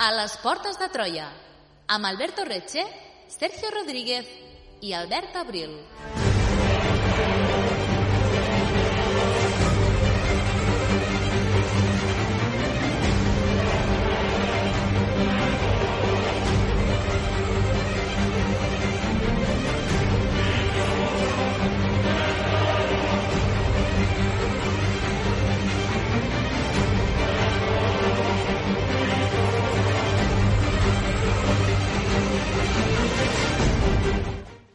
A les portes de Troia, amb Alberto Reche, Sergio Rodríguez i Albert Abril.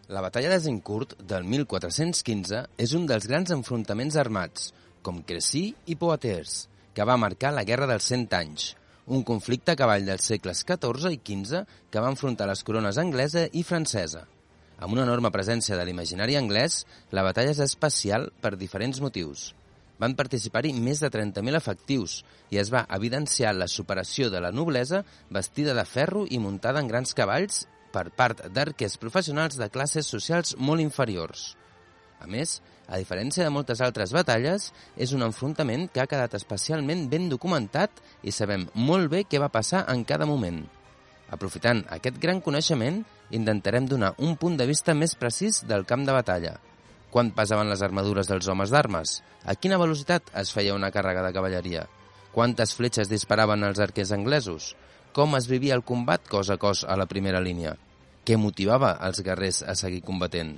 La batalla d'Azincourt del 1415 és un dels grans enfrontaments armats, com Crecy i Poitiers, que va marcar la Guerra dels 100 anys, un conflicte a cavall dels segles XIV i XV que va enfrontar les corones anglesa i francesa. Amb una enorme presència de l'imaginari anglès, la batalla és especial per diferents motius. Van participar-hi més de 30.000 efectius i es va evidenciar la superació de la noblesa vestida de ferro i muntada en grans cavalls per part d'arquers professionals de classes socials molt inferiors. A més, a diferència de moltes altres batalles, és un enfrontament que ha quedat especialment ben documentat i sabem molt bé què va passar en cada moment. Aprofitant aquest gran coneixement, intentarem donar un punt de vista més precís del camp de batalla. Quant pesaven les armadures dels homes d'armes? A quina velocitat es feia una càrrega de cavalleria? Quantes fletxes disparaven els arquers anglesos? Com es vivia el combat cos a cos a la primera línia? Què motivava els guerrers a seguir combatent?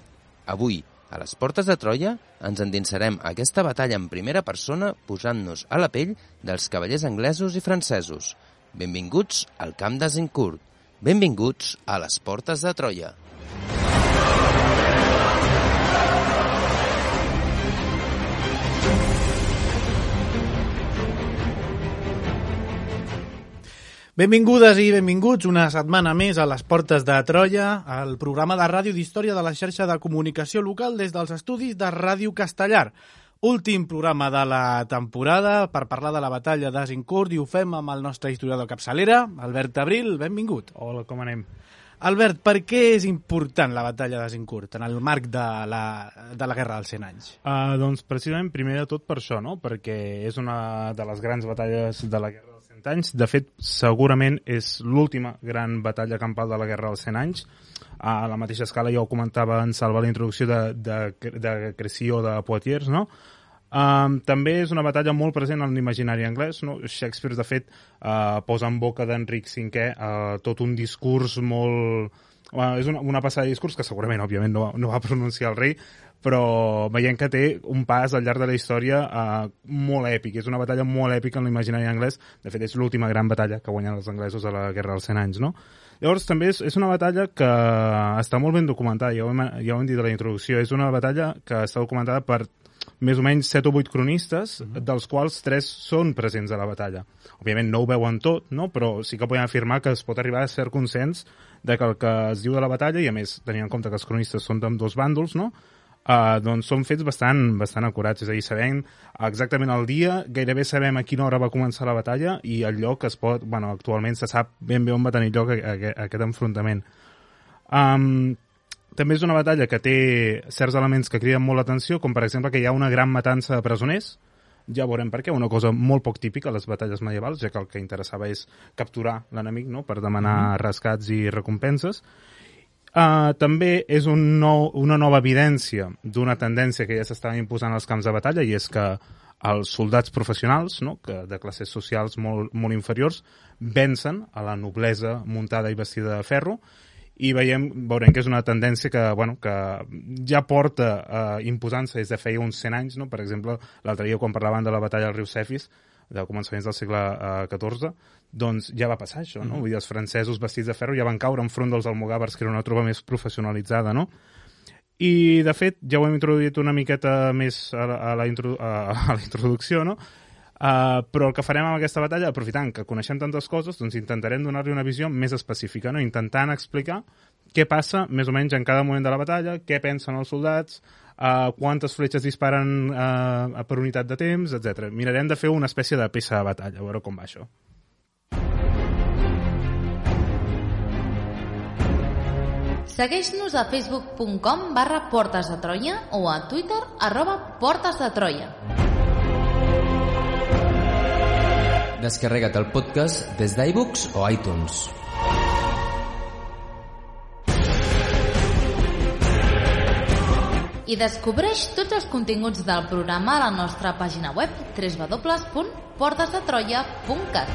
Avui, a les portes de Troia, ens endinsarem a aquesta batalla en primera persona posant-nos a la pell dels cavallers anglesos i francesos. Benvinguts al camp d'Azincourt. Benvinguts a les portes de Troia. Benvingudes i benvinguts una setmana més a les portes de Troia, el programa de ràdio d'història de la xarxa de comunicació local des dels estudis de Ràdio Castellar. Últim programa de la temporada per parlar de la batalla d'Azincourt i ho fem amb el nostre historiador capçalera, Albert Abril. Benvingut. Hola, com anem? Albert, per què és important la batalla d'Azincourt en el marc de la Guerra dels 100 anys? Doncs precisament primer de tot per això, no? Perquè és una de les grans batalles de la Guerra dels 100 anys. De fet, segurament és l'última gran batalla campal de la Guerra dels 100 anys. A la mateixa escala ja ho comentava en Salva la introducció de Crecy o de Poitiers, no? També és una batalla molt present en l'imaginari anglès, no? Shakespeare, de fet, posa en boca d'Enric V tot un discurs molt... és una passada de discurs que segurament, òbviament, no va pronunciar el rei, però veiem que té un pas al llarg de la història molt èpic. És una batalla molt èpica en l'imaginari anglès. De fet, és l'última gran batalla que guanyen els anglesos a la Guerra dels 100 anys, no? Llavors, també és una batalla que està molt ben documentada, ja ho hem dit a la introducció. És una batalla que està documentada per més o menys 7 o 8 cronistes, dels quals 3 són presents a la batalla. Òbviament no ho veuen tot, no? Però sí que podem afirmar que es pot arribar a cert consens de que el que es diu de la batalla, i a més tenint en compte que els cronistes són d'ambdós bàndols, no? Doncs són fets bastant acurats, és a dir, sabem exactament el dia, gairebé sabem a quina hora va començar la batalla i el lloc actualment se sap ben bé on va tenir lloc aquest enfrontament. També és una batalla que té certs elements que criden molt l'atenció, com per exemple que hi ha una gran matança de presoners. Ja veurem per què, una cosa molt poc típica a les batalles medievals, ja que el que interessava és capturar l'enemic, no?, per demanar rescats i recompenses. També és una nova evidència d'una tendència que ja s'estava imposant als camps de batalla, i és que els soldats professionals, no?, que de classes socials molt inferiors, vencen a la noblesa muntada i vestida de ferro, i veurem que és una tendència que ja porta imposant-se des de feia uns 100 anys, no? Per exemple, l'altre dia quan parlaven de la batalla del riu Cefis, de començaments del segle XIV, doncs ja va passar això, no? Vull dir, els francesos vestits de ferro ja van caure enfront dels almogàvers, que era una tropa més professionalitzada, no? I, de fet, ja ho hem introduït una miqueta més a la introducció, no? Però el que farem amb aquesta batalla, aprofitant que coneixem tantes coses, doncs intentarem donar-li una visió més específica, no? Intentant explicar què passa més o menys en cada moment de la batalla, què pensen els soldats, quantes fletxes disparen per unitat de temps, etc. Mirarem de fer una espècie de peça de batalla, a veure com va això. Segueix-nos a facebook.com/Portes de Troia o a Twitter @Portes de Troia. Descarrega't el podcast des d'iBooks o iTunes. I descobreix tots els continguts del programa a la nostra pàgina web www.portesdetroia.cat.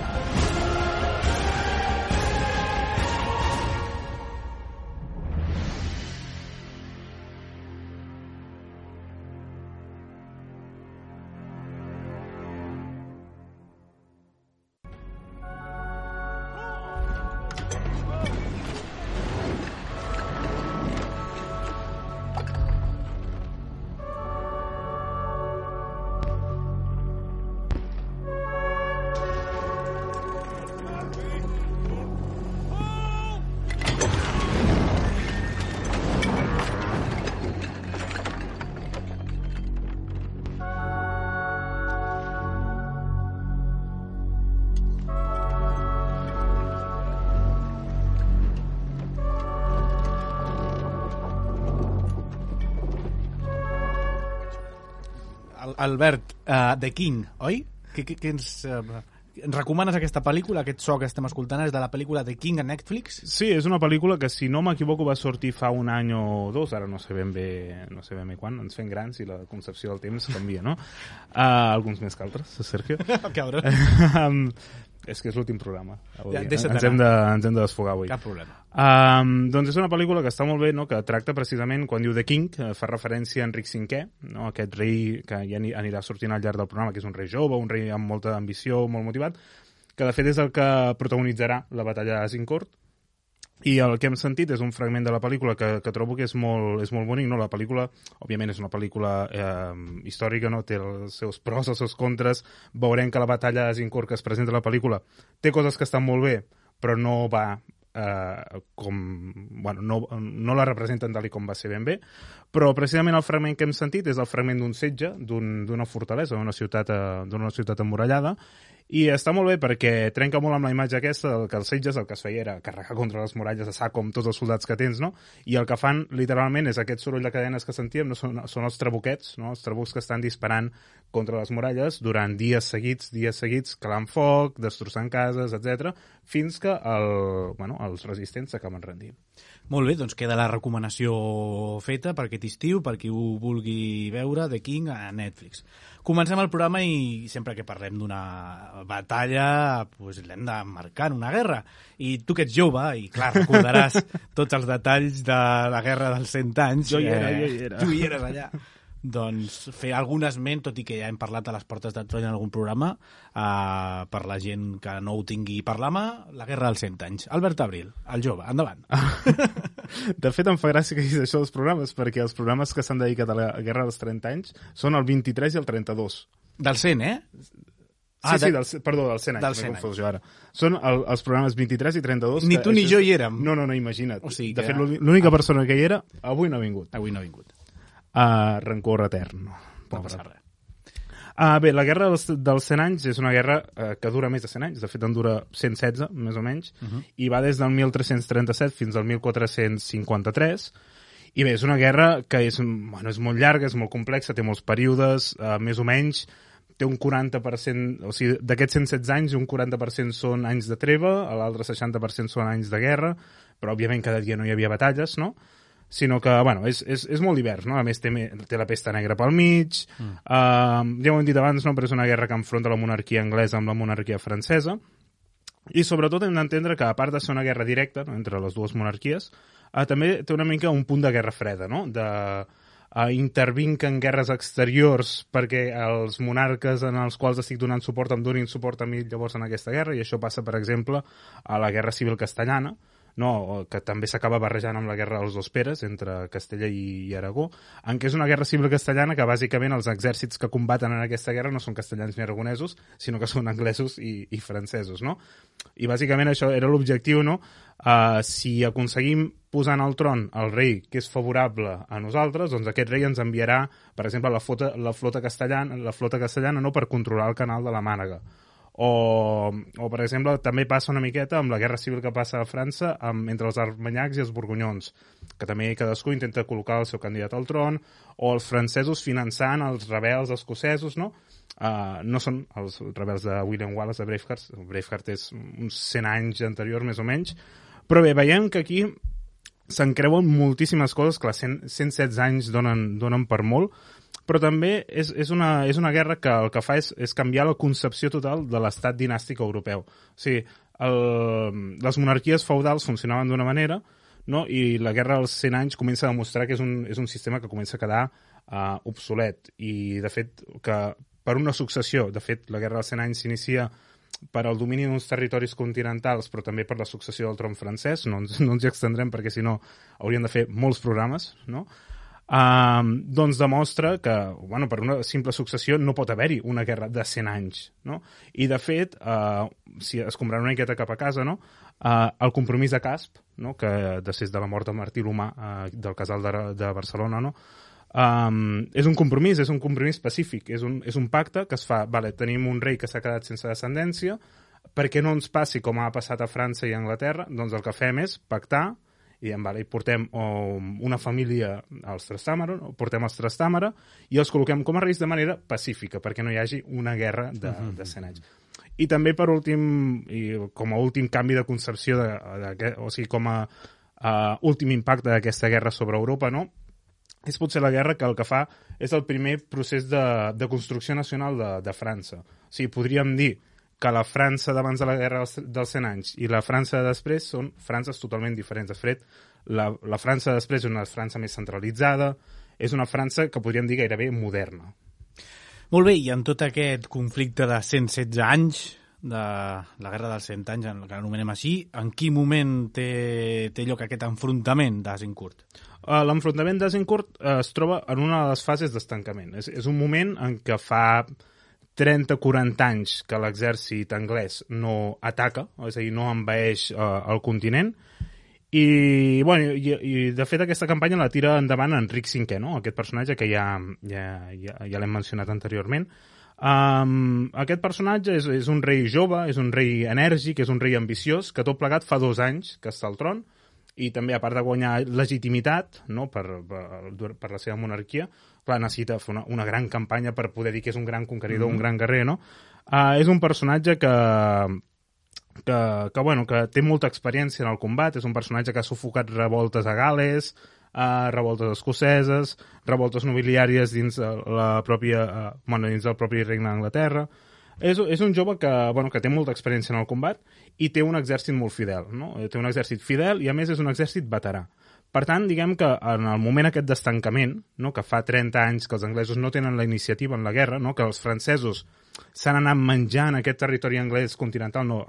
Albert, The King, oi? Què ens recomanes aquesta pel·lícula? Aquest so que estem escoltant és de la pel·lícula The King a Netflix? Sí, és una pel·lícula que, si no m'equivoco, va sortir fa un any o dos, ara no sé ben bé quan, ens fem grans i la concepció del temps canvia, no? Alguns més que altres, Sergio. Cabrón. És que és l'últim programa. Ja, ens hem de desfogar avui. Cap problema. Doncs és una pel·lícula que està molt bé, no? Que tracta precisament, quan diu The King, fa referència a Enric V, no? Aquest rei que ja anirà sortint al llarg del programa, que és un rei jove, un rei amb molta ambició, molt motivat, que de fet és el que protagonitzarà la batalla d'Azincourt. I el que hem sentit és un fragment de la pel·lícula que trobo que és molt bonic, no? La pel·lícula, òbviament, és una pel·lícula històrica, no? Té els seus pros, els seus contres. Veurem que la batalla d'Azincourt que es presenta a la pel·lícula té coses que estan molt bé, però no va no la representen tal com va ser ben bé, però precisament el fragment que hem sentit és el fragment d'un setge, d'una fortalesa, d'una ciutat emmurallada, i està molt bé perquè trenca molt amb la imatge aquesta que els setges el que es feia era carregar contra les muralles a sac com tots els soldats que tens, no? I el que fan literalment és aquest soroll de cadenes que sentíem, no? Són els trabuquets, no? Els trabucs que estan disparant contra les muralles durant dies seguits, calant foc, destrossant cases, etc, fins que els resistents s'acaben rendint. Molt bé, doncs queda la recomanació feta per aquest estiu, per qui ho vulgui veure, The King a Netflix. Comencem el programa i sempre que parlem d'una batalla doncs l'hem de marcar en una guerra. I tu que ets jove, i clar, recordaràs tots els detalls de la Guerra dels 100 anys. Jo hi era. Tu hi eres allà. Doncs fer algun esment, tot i que ja hem parlat a les Portes de Troia en algun programa, per la gent que no ho tingui per la mà, la Guerra dels 100 anys. Albert Abril, el jove, endavant. De fet, em fa gràcia que diguis això dels programes, perquè els programes que s'han dedicat a la Guerra dels 30 anys són el 23 i el 32. Del 100, eh? Del 100 anys, m'he confós jo ara. Són els programes 23 i 32. Ni tu ni jo hi érem. No, imagina't. O sigui, de fet, l'única persona que hi era avui no ha vingut. Rancor etern. No passa res. Bé, la Guerra dels 100 anys és una guerra que dura més de 100 anys, de fet en dura 116, més o menys, i va des del 1337 fins al 1453, i bé, és una guerra que és molt llarga, és molt complexa, té molts períodes, més o menys, té un 40%, o sigui, d'aquests 116 anys, un 40% són anys de treva, l'altre 60% són anys de guerra, però òbviament cada dia no hi havia batalles, no?, sinó que, és molt divers, no? A més, té la pesta negra pel mig, ja ho hem dit abans, no? Però és una guerra que enfronta la monarquia anglesa amb la monarquia francesa, i sobretot hem d'entendre que, a part de ser una guerra directa, no? Entre les dues monarquies, també té una mica un punt de guerra freda, no? Intervinc en guerres exteriors perquè els monarques en els quals estic donant suport em donin suport a mi llavors en aquesta guerra, i això passa, per exemple, a la Guerra Civil Castellana, no, que també s'acaba barrejant amb la Guerra dels Dos Peres entre Castella i Aragó, en què és una guerra civil castellana que bàsicament els exèrcits que combaten en aquesta guerra no són castellans ni aragonesos, sinó que són anglesos i francesos, no? I bàsicament això era l'objectiu, no? Si aconseguim posar en el tron el rei que és favorable a nosaltres, doncs aquest rei ens enviarà, per exemple, la flota castellana no, per controlar el canal de la Mànega. O, per exemple, també passa una miqueta amb la guerra civil que passa a França entre els armanyacs i els borgonyons. que també cadascú intenta col·locar el seu candidat al tron, o els francesos finançant els rebels escocesos, no? No són els rebels de William Wallace de Braveheart. Braveheart és uns 100 anys anteriors, més o menys. Però bé, veiem que aquí s'encreuen moltíssimes coses, clar, 116 anys donen per molt, però també és una guerra que el que fa és canviar la concepció total de l'estat dinàstic europeu. O sigui, les monarquies feudals funcionaven d'una manera, no? I la guerra dels 100 anys comença a demostrar que és un sistema que comença a quedar obsolet. I, de fet, que per una successió, de fet, la guerra dels 100 anys s'inicia per al domini d'uns territoris continentals, però també per la successió del tron francès. No ens hi extendrem perquè, si no, hauríem de fer molts programes, no? Doncs demostra que, bueno, per una simple successió no pot haver-hi una guerra de 100 anys, no? I, de fet, si es comprarà una miqueta cap a casa, no? El compromís de Casp, no? Que després de la mort de Martí l'Humà del casal de Barcelona, no? És un compromís pacífic, és un pacte que es fa, vale, tenim un rei que s'ha quedat sense descendència, perquè no ens passi com ha passat a França i a Anglaterra, doncs el que fem és pactar i diem, vale, portem una família als Trastàmara, portem els Trastàmara i els col·loquem com a reis de manera pacífica, perquè no hi hagi una guerra de 100 anys. I també, per últim, i com a últim canvi de concepció, o sigui, com a últim impacte d'aquesta guerra sobre Europa, no? És potser la guerra que el que fa és el primer procés de construcció nacional de França. O sigui, podríem dir que la França d'abans de la guerra dels 100 anys i la França de després són Frances totalment diferents. De fet, la França de després és una França més centralitzada, és una França que podríem dir gairebé moderna. Molt bé, i en tot aquest conflicte de 116 anys, de la guerra dels 100 anys, que l'anomenem així, en quin moment té lloc aquest enfrontament d'Azincourt? L'enfrontament d'Azincourt es troba en una de les fases d'estancament. És un moment en què fa 30-40 anys que l'exèrcit anglès no ataca, és a dir, no envaeix el continent, i de fet aquesta campanya la tira endavant Enric V, no? Aquest personatge que ja l'hem mencionat anteriorment. Aquest personatge és un rei jove, és un rei enèrgic, és un rei ambiciós, que tot plegat fa 2 anys que està al tron, i també, a part de guanyar legitimitat, no, per la seva monarquia, clar, necessita fer una gran campanya per poder dir que és un gran conqueridor, un gran guerrer, no? És un personatge que té molta experiència en el combat, és un personatge que ha sufocat revoltes a Gal·les, revoltes escoceses, revoltes nobiliàries dins del propi regne d'Anglaterra. És un jove que té molta experiència en el combat i té un exèrcit molt fidel, no? Té un exèrcit fidel i, a més, és un exèrcit veterà. Per tant, diguem que en el moment aquest d'estancament, no, que fa 30 anys que els anglesos no tenen la iniciativa en la guerra, no, que els francesos s'han anat menjant aquest territori anglès continental, no,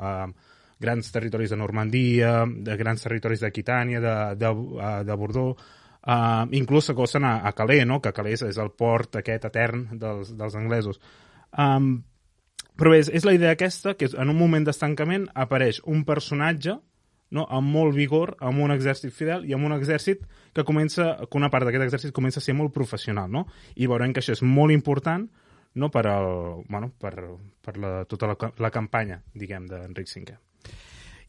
grans territoris de Normandia, de grans territoris d'Aquitània, de Bordeaux, inclús s'acosten a Calais, no, que Calais és el port aquest etern dels anglesos. Però bé, és la idea aquesta, que en un moment d'estancament apareix un personatge, no, amb molt vigor, amb un exèrcit fidel i amb un exèrcit que una part d'aquest exèrcit comença a ser molt professional, no? I veurem que això és molt important, no, per tota la campanya, diguem, d'Enric V.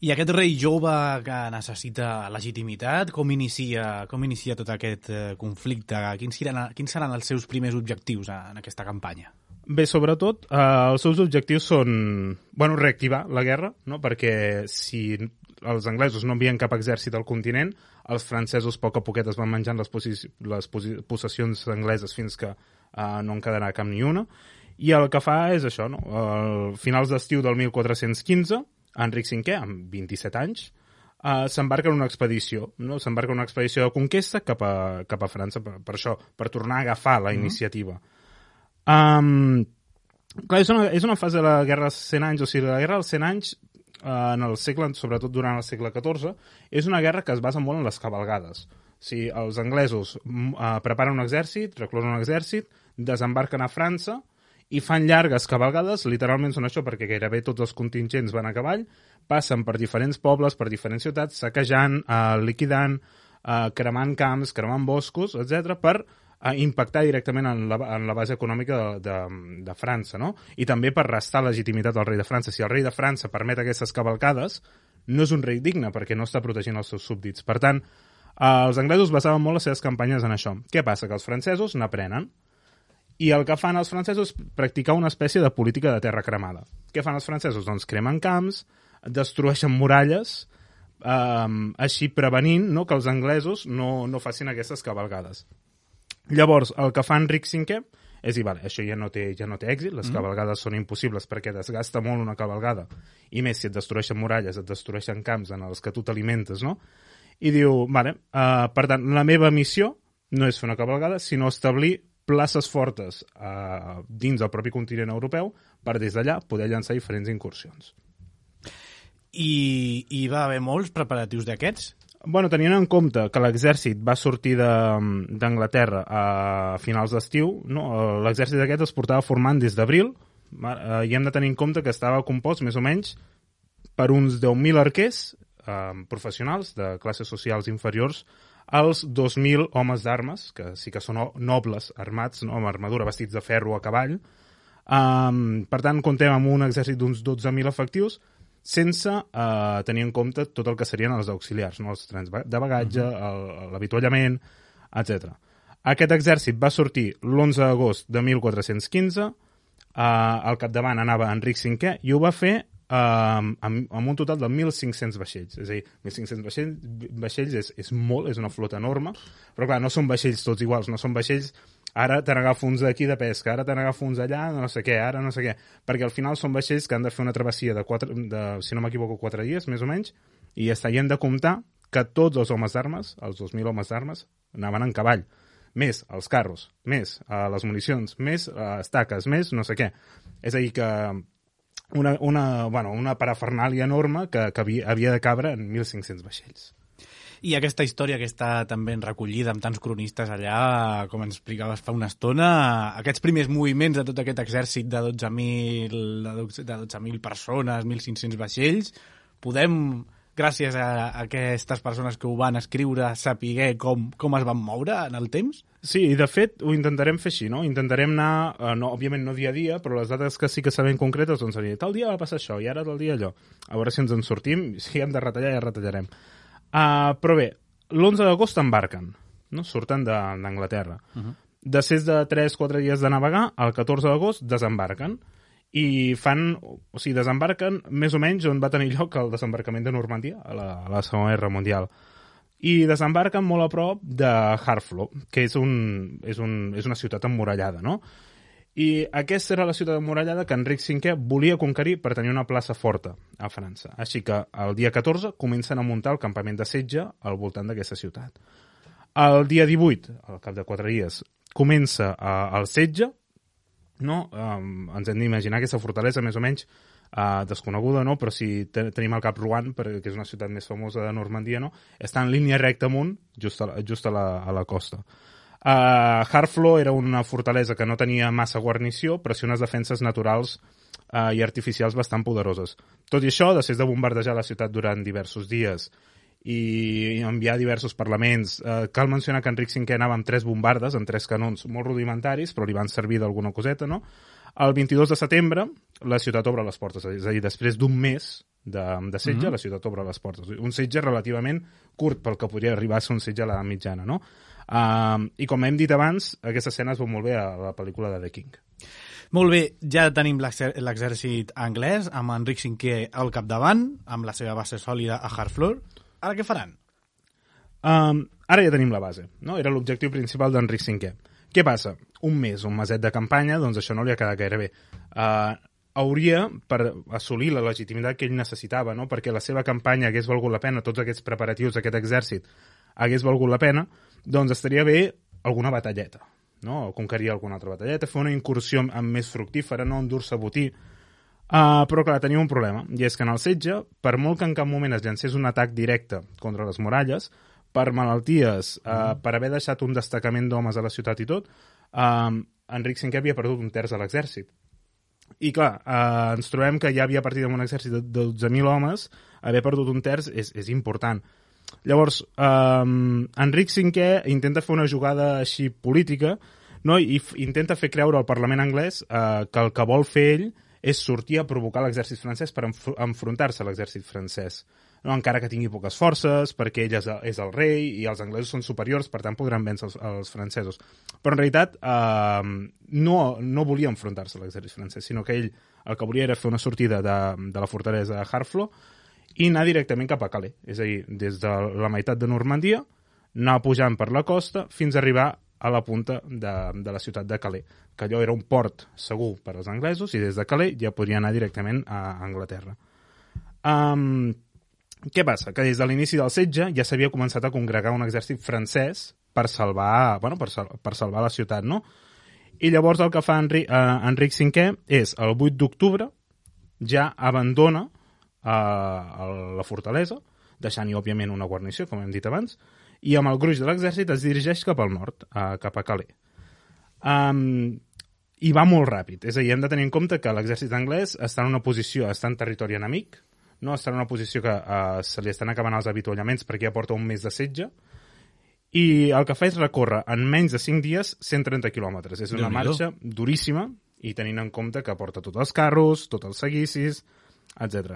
I aquest rei jove que necessita legitimitat, com inicia tot aquest conflicte? Quins seran els seus primers objectius en aquesta campanya? Bé, sobretot, els seus objectius són, reactivar la guerra, no? Perquè si els anglesos no envien cap exèrcit al continent, els francesos a poc a poquet es van menjant les possessions angleses fins que no en quedarà cap ni una. I el que fa és això, no? A finals d'estiu del 1415, Enric V, amb 27 anys, s'embarca en una expedició, no? S'embarca en una expedició de conquesta cap a França, per això, per tornar a agafar la iniciativa. Clar, és una fase de la Guerra dels 100 anys, o sigui, la Guerra dels 100 anys, en el segle, sobretot durant el segle XIV, és una guerra que es basa molt en les cavalgades. O sigui, els anglesos preparen un exèrcit, reclosen un exèrcit, desembarquen a França i fan llargues cavalgades, literalment són això perquè gairebé tots els contingents van a cavall, passen per diferents pobles, per diferents ciutats, saquejant, liquidant, cremant camps, cremant boscos, etc., per impactar directament en la base econòmica de França, no? I també per restar legitimitat al rei de França. Si el rei de França permet aquestes cavalcades, no és un rei digne perquè no està protegint els seus súbdits. Per tant, Els anglesos basaven molt les seves campanyes en això. Què passa? Que els francesos n'aprenen. I el que fan els francesos és practicar una espècie de política de terra cremada. Què fan els francesos? Doncs cremen camps, destrueixen muralles, així prevenint, no, que els anglesos no facin aquestes cavalgades. Llavors, el que fa Enric V és dir, vale, això ja no té èxit, les cavalgades són impossibles perquè desgasta molt una cavalgada, i més si et destrueixen muralles, et destrueixen camps en els que tu t'alimentes, no? I diu, vale, per tant, la meva missió no és fer una cavalgada, sinó establir places fortes dins del propi continent europeu per des d'allà poder llançar diferents incursions. I va haver molts preparatius d'aquests? Bueno, tenint en compte que l'exèrcit va sortir d'Anglaterra a finals d'estiu, no? L'exèrcit aquest es portava formant des d'abril, i hem de tenir en compte que estava compost més o menys per uns 10.000 arquers professionals de classes socials inferiors als 2.000 homes d'armes, que sí que són nobles armats, no? Amb armadura, vestits de ferro a cavall. Per tant, comptem amb un exèrcit d'uns 12.000 efectius, sense tenir en compte tot el que serien els auxiliars, no? Els trens de bagatge, l'avituallament, etc. Aquest exèrcit va sortir l'11 d'agost de 1415, al capdavant anava Enric V, i ho va fer amb un total de 1.500 vaixells. És a dir, 1.500 vaixells és molt, és una flota enorme, però clar, no són vaixells tots iguals, no són vaixells ara te n'agafo uns d'aquí de pesca, ara te n'agafo uns allà, no sé què, ara no sé què, perquè al final són vaixells que han de fer una travessia de si no m'equivoco, 4 dies, més o menys, i ja està, i hem de comptar que tots els homes d'armes, els 2.000 homes d'armes, anaven en cavall, més els carros, més les municions, més estaques, més no sé què. És a dir, que una parafernàlia enorme que havia de cabre en 1.500 vaixells. I aquesta història que està també recollida amb tants cronistes allà, com ens explicaves fa una estona, aquests primers moviments de tot aquest exèrcit de 12.000 persones, 1.500 vaixells, podem, gràcies a aquestes persones que ho van escriure, saber com es van moure en el temps? Sí, i de fet ho intentarem fer així, no? Intentarem anar, òbviament no dia a dia, però les dates que sí que sabem concretes, doncs seria tal dia va passar això i ara tal dia allò. A veure si ens en sortim, si hem de retallar ja retallarem. Però bé, l'11 d'agost embarquen, no? Surten d'Anglaterra. Després de 3-4 dies de navegar, el 14 d'agost desembarquen i desembarquen més o menys on va tenir lloc el desembarcament de Normandia a la Segona Guerra Mundial. I desembarquen molt a prop de Harfleur, que és una ciutat emmurallada, no? I aquesta era la ciutat emmurallada que Enric V volia conquerir per tenir una plaça forta a França. Així que el dia 14 comencen a muntar el campament de setge al voltant d'aquesta ciutat. El dia 18, al cap de 4 dies, comença el setge, no? Ens hem d'imaginar aquesta fortalesa més o menys desconeguda, no? Però si tenim al cap Rouen, que és una ciutat més famosa de Normandia, no? Està en línia recta amunt, just a la costa. Harfleur era una fortalesa que no tenia massa guarnició, però sí unes defenses naturals i artificials bastant poderoses. Tot i això, després de bombardejar la ciutat durant diversos dies i enviar diversos parlaments, cal mencionar que Enric V anava amb 3 bombardes, amb 3 canons molt rudimentaris, però li van servir d'alguna coseta, no? El 22 de setembre la ciutat obre les portes, és a dir, després d'un mes de setge, la ciutat obre les portes. Un setge relativament curt pel que podria arribar a ser un setge a l'edat mitjana, no? I com hem dit abans, aquesta escena es veu molt bé a la pel·lícula de The King. Molt bé, ja tenim l'exèrcit anglès amb Enric V al capdavant, amb la seva base sòlida a Harfleur. Ara què faran? Ara ja tenim la base, no? Era l'objectiu principal d'Enric V. Què passa? Un meset de campanya, doncs això no li ha quedat gaire bé. Hauria, per assolir la legitimitat que ell necessitava, no? Perquè la seva campanya hagués valgut la pena, tots aquests preparatius d'aquest exèrcit hagués valgut la pena, doncs estaria bé alguna batalleta, no? O conquerir alguna altra batalleta, fer una incursió més fructífera, no endur-se botí. Però clar, tenia un problema, i és que en el setge, per molt que en cap moment es llancés un atac directe contra les muralles, per malalties, per haver deixat un destacament d'homes a la ciutat i tot, Enric V havia perdut un terç de l'exèrcit. I clar, ens trobem que ja havia partit amb un exèrcit de 12.000 homes, haver perdut un terç és important. Llavors, Enric V intenta fer una jugada així política, no? I intenta fer creure al Parlament anglès que el que vol fer ell és sortir a provocar l'exèrcit francès per enfrontar-se a l'exèrcit francès. no? Encara que tingui poques forces, perquè ell és el rei i els anglesos són superiors, per tant podran vèncer els francesos. Però en realitat no volia enfrontar-se a l'exèrcit francès, sinó que ell el que volia era fer una sortida de la fortalesa de Harfleur i anar directament cap a Calais. És a dir, des de la meitat de Normandia, anar pujant per la costa fins a arribar a la punta de la ciutat de Calais, que allò era un port segur per als anglesos i des de Calais ja podria anar directament a Anglaterra. Què passa? Que des de l'inici del setge ja s'havia començat a congregar un exèrcit francès per salvar la ciutat, no? I llavors el que fa Enric V és, el 8 d'octubre, ja abandona la fortalesa, deixant-hi, òbviament, una guarnició, com hem dit abans, i amb el gruix de l'exèrcit es dirigeix cap al nord, cap a Calais. I va molt ràpid. És a dir, hem de tenir en compte que l'exèrcit anglès està en una posició, està en territori enemic, no? Està en una posició que se li estan acabant els avituallaments perquè ja porta un mes de setge, i el que fa és recórrer en menys de 5 dies 130 quilòmetres. És una marxa duríssima, i tenint en compte que porta tots els carros, tots els seguicis, etc.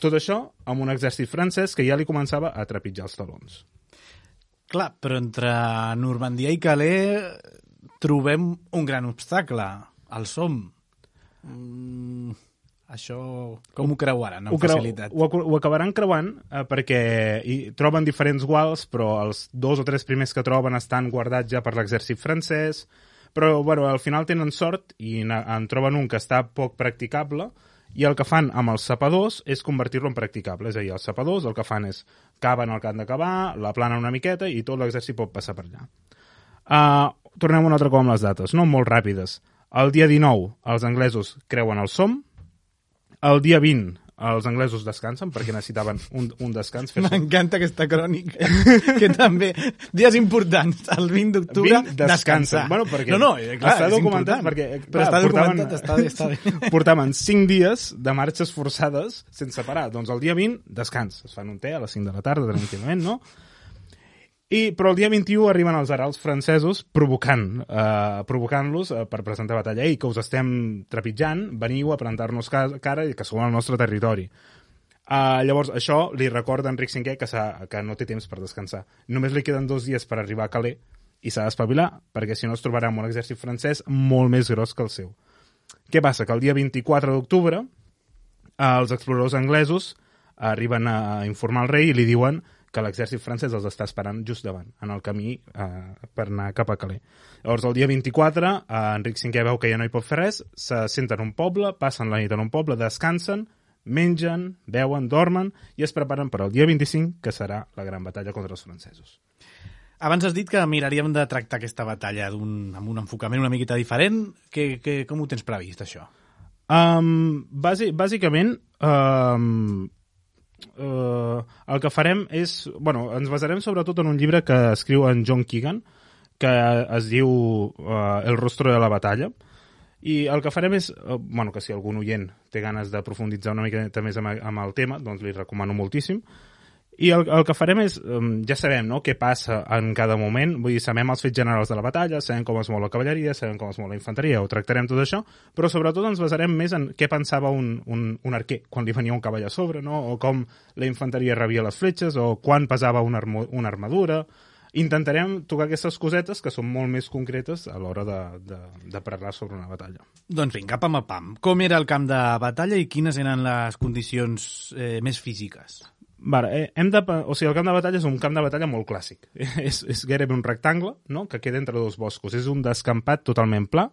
Tot això amb un exèrcit francès que ja li començava a trepitjar els talons. Clar, però entre Normandia i Calais trobem un gran obstacle, el Somme. Això com ho creuaran amb facilitat? Ho acabaran creuant perquè troben diferents guals, però els 2 o 3 primers que troben estan guardats ja per l'exèrcit francès, però al final tenen sort i en troben un que està poc practicable, i el que fan amb els sapadors és convertir-lo en practicable. És a dir, els sapadors el que fan és caven el que han de cavar, la planen una miqueta i tot l'exèrcit pot passar per allà. Tornem un altre cop amb les dates, no? Molt ràpides. El dia 19 els anglesos creuen el Somme, el dia 20 els anglesos descansen perquè necessitaven un descans. M'encanta aquesta crònica, que també, dies importants, el 20 d'octubre, descansar. Bueno, perquè clar, està documentat, perquè però està documentat, està bé. Portaven 5 dies de marxes forçades sense parar. Doncs el dia 20, descans. Es fan un te a les 5 de la tarda, tranquil·lament, no? Però el dia 21 arriben els heralds francesos provocant-los per presentar batalla. Que us estem trepitjant, veniu a plantar-nos cara i que som al nostre territori. Llavors, això li recorda a Enric V que no té temps per descansar. Només li queden 2 dies per arribar a Calais i s'ha d'espavilar, perquè si no es trobarà amb un exèrcit francès molt més gros que el seu. Què passa? Que el dia 24 d'octubre els exploradors anglesos arriben a informar al rei i li diuen que l'exèrcit francès els està esperant just davant, en el camí per anar cap a Calais. Llavors, el dia 24, Enric V veu que ja no hi pot fer res, se senten en un poble, passen la nit en un poble, descansen, mengen, beuen, dormen i es preparen per al dia 25, que serà la gran batalla contra els francesos. Abans has dit que miraríem de tractar aquesta batalla amb un enfocament una miqueta diferent. Com ho tens previst, això? Bàsicament, el que farem és... ens basarem sobretot en un llibre que escriu en John Keegan, que es diu El rostro de la batalla, i el que farem és... que si algun oient té ganes de profunditzar una mica més amb el tema, doncs li recomano moltíssim. I el que farem és... ja sabem, no?, què passa en cada moment. Vull dir, sabem els fets generals de la batalla, sabem com es mou la cavalleria, sabem com es mou la infanteria, ho tractarem tot això, però sobretot ens basarem més en què pensava un arquer quan li venia un cavall a sobre, no?, o com la infanteria rebia les fletxes, o quan pesava una armadura. Intentarem tocar aquestes cosetes que són molt més concretes a l'hora de parlar sobre una batalla. Doncs vinga, pam a pam. Com era el camp de batalla i quines eren les condicions més físiques? El camp de batalla és un camp de batalla molt clàssic. És gairebé un rectangle, no?, que queda entre 2 boscos. És un descampat totalment pla.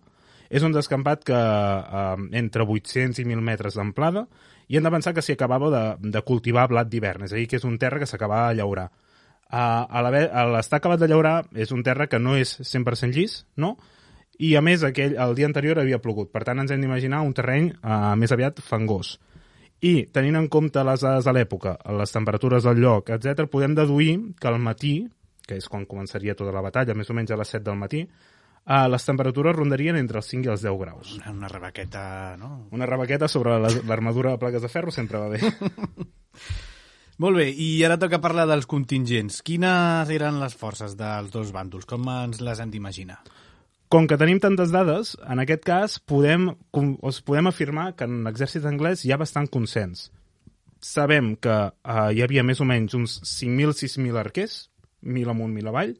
És un descampat que entre 800 i 1.000 metres d'amplada, i hem de pensar que s'hi acabava de cultivar blat d'hivern, és a dir, que és un terra que s'acabava de llaurar. A l'estar acabat de llaurar és un terra que no és 100% llis, no?, i a més el dia anterior havia plogut. Per tant, ens hem d'imaginar un terreny més aviat fangós. I, tenint en compte les dades de l'època, les temperatures del lloc, etc., podem deduir que al matí, que és quan començaria tota la batalla, més o menys a les 7 del matí, les temperatures rondarien entre els 5 i els 10 graus. Una rebequeta, no? Una rebequeta sobre l'armadura de plaques de ferro sempre va bé. Molt bé, i ara toca parlar dels contingents. Quines eren les forces dels dos bàndols? Com ens les hem d'imaginar? Com que tenim tantes dades, en aquest cas podem afirmar que en l'exèrcit anglès hi ha bastant consens. sabem que hi havia més o menys uns 5.000, 6.000 arquers, 1.000 amunt, 1.000 avall,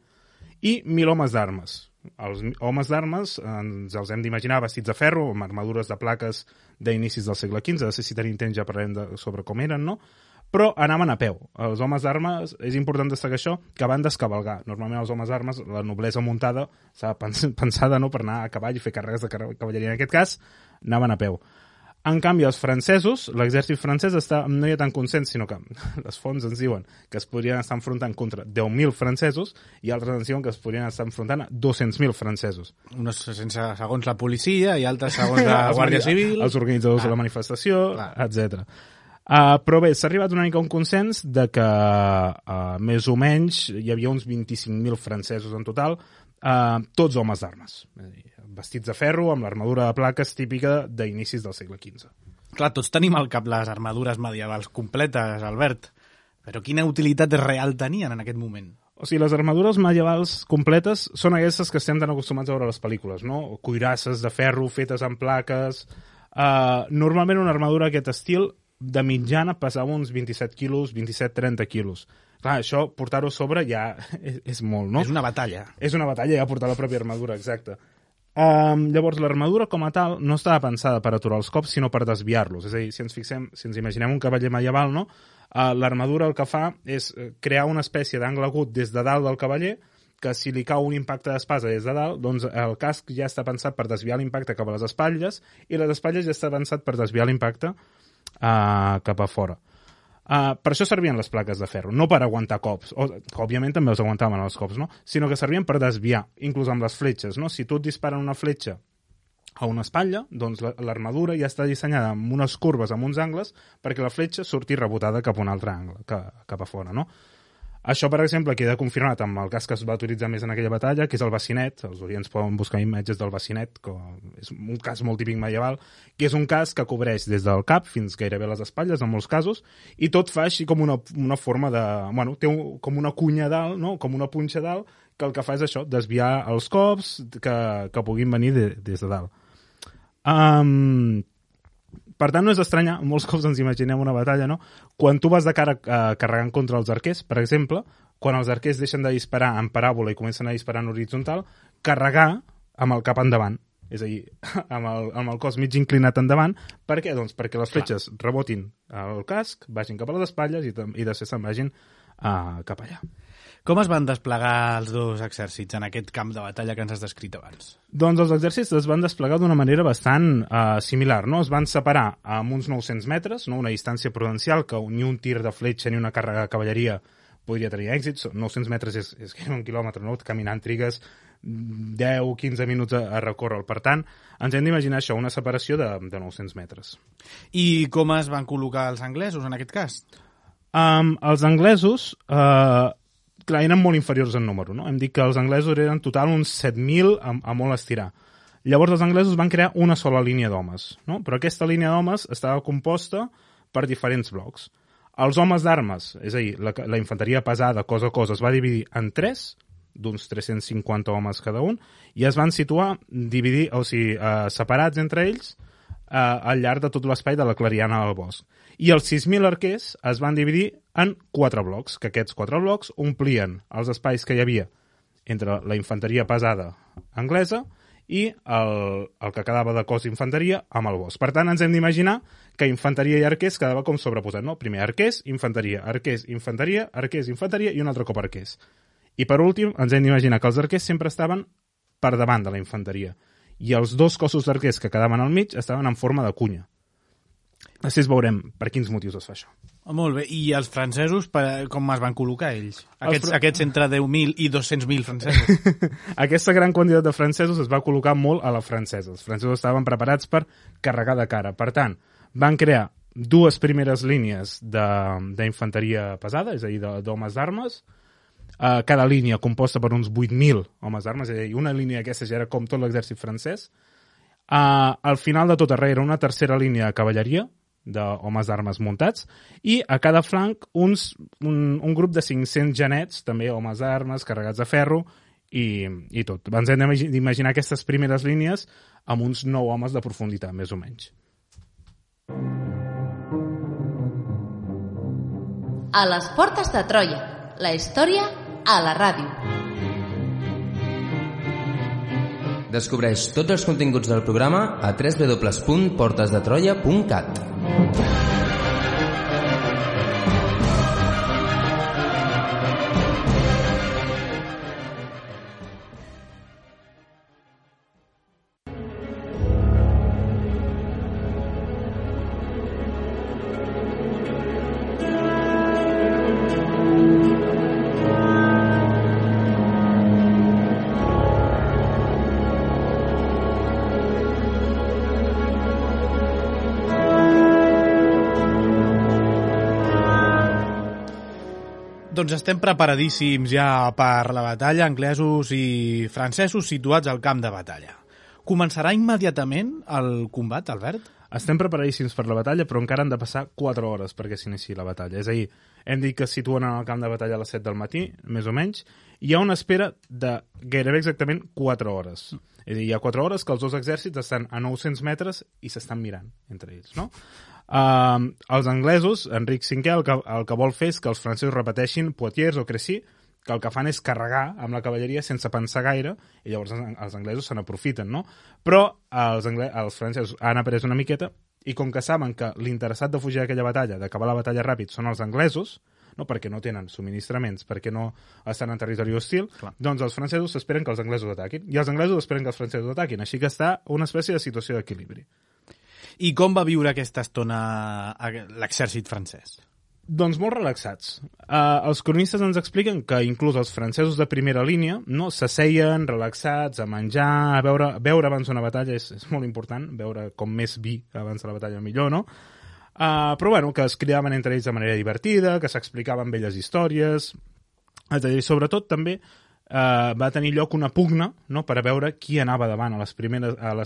i 1.000 homes d'armes. Els homes d'armes ens els hem d'imaginar vestits de ferro, amb armadures de plaques d'inicis del segle XV, de si tenim temps ja parlarem sobre com eren, no? Però anaven a peu. Els homes d'armes, és important destacar això, que van descavalgar. Normalment els homes d'armes, la noblesa muntada, s'ha pensada no, per anar a cavall i fer càrregues de cavalleria. En aquest cas, anaven a peu. En canvi, els francesos, l'exèrcit francès no hi ha tant consens, sinó que les fonts ens diuen que es podrien estar enfrontant contra 10.000 francesos i altres ens diuen que es podrien estar enfrontant a 200.000 francesos. Uns segons la policia i altres segons la Guàrdia Civil. Els organitzadors de la manifestació, etc. Però bé, s'ha arribat una mica a un consens de que més o menys hi havia uns 25.000 francesos en total, tots homes d'armes. Vestits de ferro, amb l'armadura de plaques típica d'inicis del segle XV. Clar, tots tenim al cap les armadures medievals completes, Albert, però quina utilitat real tenien en aquest moment? O sigui, les armadures medievals completes són aquestes que estem tan acostumats a veure a les pel·lícules, no? Cuirasses de ferro fetes amb plaques. Normalment una armadura d'aquest estil de mitjana pesava uns 27 quilos, 27-30 quilos. Clar, això, portar-ho a sobre ja és molt, no? És una batalla. És una batalla ja portar la pròpia armadura, exacte. Llavors, l'armadura com a tal no estava pensada per aturar els cops, sinó per desviar-los. És a dir, si ens imaginem un cavaller medieval, no? L'armadura el que fa és crear una espècie d'angle agut des de dalt del cavaller, que si li cau un impacte d'espasa des de dalt, doncs el casc ja està pensat per desviar l'impacte cap a les espatlles i les espatlles ja està pensat per desviar l'impacte cap a fora. Per això servien les plaques de ferro, no per aguantar cops, que òbviament també els aguantaven els cops, no? Sinó que servien per desviar, inclús amb les fletxes, no? Si tu et disparen una fletxa a una espatlla, doncs l'armadura ja està dissenyada amb unes curves, amb uns angles, perquè la fletxa surti rebotada cap a un altre angle, cap a fora, no? Això, per exemple, queda confirmat amb el casc que es va utilitzar més en aquella batalla, que és el bacinet. Els oients poden buscar imatges del bacinet, que és un casc molt típic medieval, que és un casc que cobreix des del cap fins gairebé les espatlles, en molts casos, i tot fa així com una forma de... Bueno, té com una cunya dalt, no? Com una punxa dalt, que el que fa és això, desviar els cops que puguin venir des de dalt. Per tant, no és estranya, molts cops ens imaginem una batalla, no? Quan tu vas de cara carregant contra els arquers, per exemple, quan els arquers deixen de disparar en paràbola i comencen a disparar en horitzontal, carregar amb el cap endavant, és a dir, amb el cos mig inclinat endavant. Per què? Doncs perquè les fletxes rebotin al casc, vagin cap a les espatlles i després se'n vagin cap allà. Com es van desplegar els dos exèrcits en aquest camp de batalla que ens has descrit abans? Doncs els exèrcits es van desplegar d'una manera bastant similar, no? Es van separar amb uns 900 metres, no? Una distància prudencial que ni un tir de fletxa ni una càrrega de cavalleria podria tenir èxit. 900 metres és un quilòmetre, no? Caminant trigues 10-15 minuts a recórrer. Per tant, ens hem d'imaginar això, una separació de 900 metres. I com es van col·locar els anglesos en aquest cas? Els anglesos... clar, eren molt inferiors en número, no? Hem dit que els anglesos eren en total uns 7.000 a molt estirar. Llavors els anglesos van crear una sola línia d'homes, no? Però aquesta línia d'homes estava composta per diferents blocs. Els homes d'armes, és a dir, la infanteria pesada, cos a cos, es va dividir en 3, d'uns 350 homes cada un, i es van situar, separats entre ells, al llarg de tot l'espai de la clariana del bosc. I els 6.000 arquers es van dividir en 4 blocs, que aquests 4 blocs omplien els espais que hi havia entre la infanteria pesada anglesa i el que quedava de cos d'infanteria amb el bosc. Per tant, ens hem d'imaginar que infanteria i arquers quedava com sobreposat, no? Primer arquers, infanteria, i un altre cop arquers. I per últim, ens hem d'imaginar que els arquers sempre estaven per davant de la infanteria i els dos cossos d'arquers que quedaven al mig estaven en forma de cunya. Després veurem per quins motius es fa això. Molt bé. I els francesos, com es van col·locar ells? Aquests entre 10.000 i 200.000 francesos. Aquesta gran quantitat de francesos es va col·locar molt a la francesa. Els francesos estaven preparats per carregar de cara. Per tant, van crear 2 primeres línies d'infanteria pesada, és a dir, d'homes d'armes, cada línia composta per uns 8.000 homes d'armes, és a dir, una línia aquesta ja era com tot l'exèrcit francès. Al final de tot arreu era una tercera línia de cavalleria, d'homes d'armes muntats, i a cada flanc un grup de 500 genets, també homes d'armes, carregats de ferro, i tot. Ens hem d'imaginar aquestes primeres línies amb uns 9 homes de profunditat, més o menys. A les portes de Troia, la història a la ràdio. Descobreix tots els continguts del programa a www.portesdetroia.cat. Doncs estem preparadíssims ja per la batalla, anglesos i francesos situats al camp de batalla. Començarà immediatament el combat, Albert? Estem preparadíssims per la batalla, però encara han de passar 4 hores perquè s'iniciï la batalla. És a dir, hem dit que es situen en el camp de batalla a les 7 del matí, més o menys, i hi ha una espera de gairebé exactament 4 hores. És a dir, hi ha 4 hores que els dos exèrcits estan a 900 metres i s'estan mirant entre ells, no? Els anglesos, Enric V, el que vol fer és que els francesos repeteixin Poitiers o Crécy, que el que fan és carregar amb la cavalleria sense pensar gaire, i llavors els anglesos se n'aprofiten, no? Però els francesos han après una miqueta, i com que saben que l'interessat de fugir d'aquella batalla, d'acabar la batalla ràpid, són els anglesos, no perquè no tenen subministraments, perquè no estan en territori hostil, clar, doncs els francesos esperen que els anglesos ataquin, i els anglesos esperen que els francesos ataquin, així que està una espècie de situació d'equilibri. I com va viure aquesta estona l'exèrcit francès? Doncs molt relaxats. Els cronistes ens expliquen que inclús els francesos de primera línia no s'asseien relaxats a menjar, a beure abans d'una batalla és molt important, beure com més vi abans de la batalla millor, no? Però bueno, que es cridaven entre ells de manera divertida, que s'explicaven belles històries, és a dir, sobretot també va tenir lloc una pugna, no?, per a veure qui anava davant a les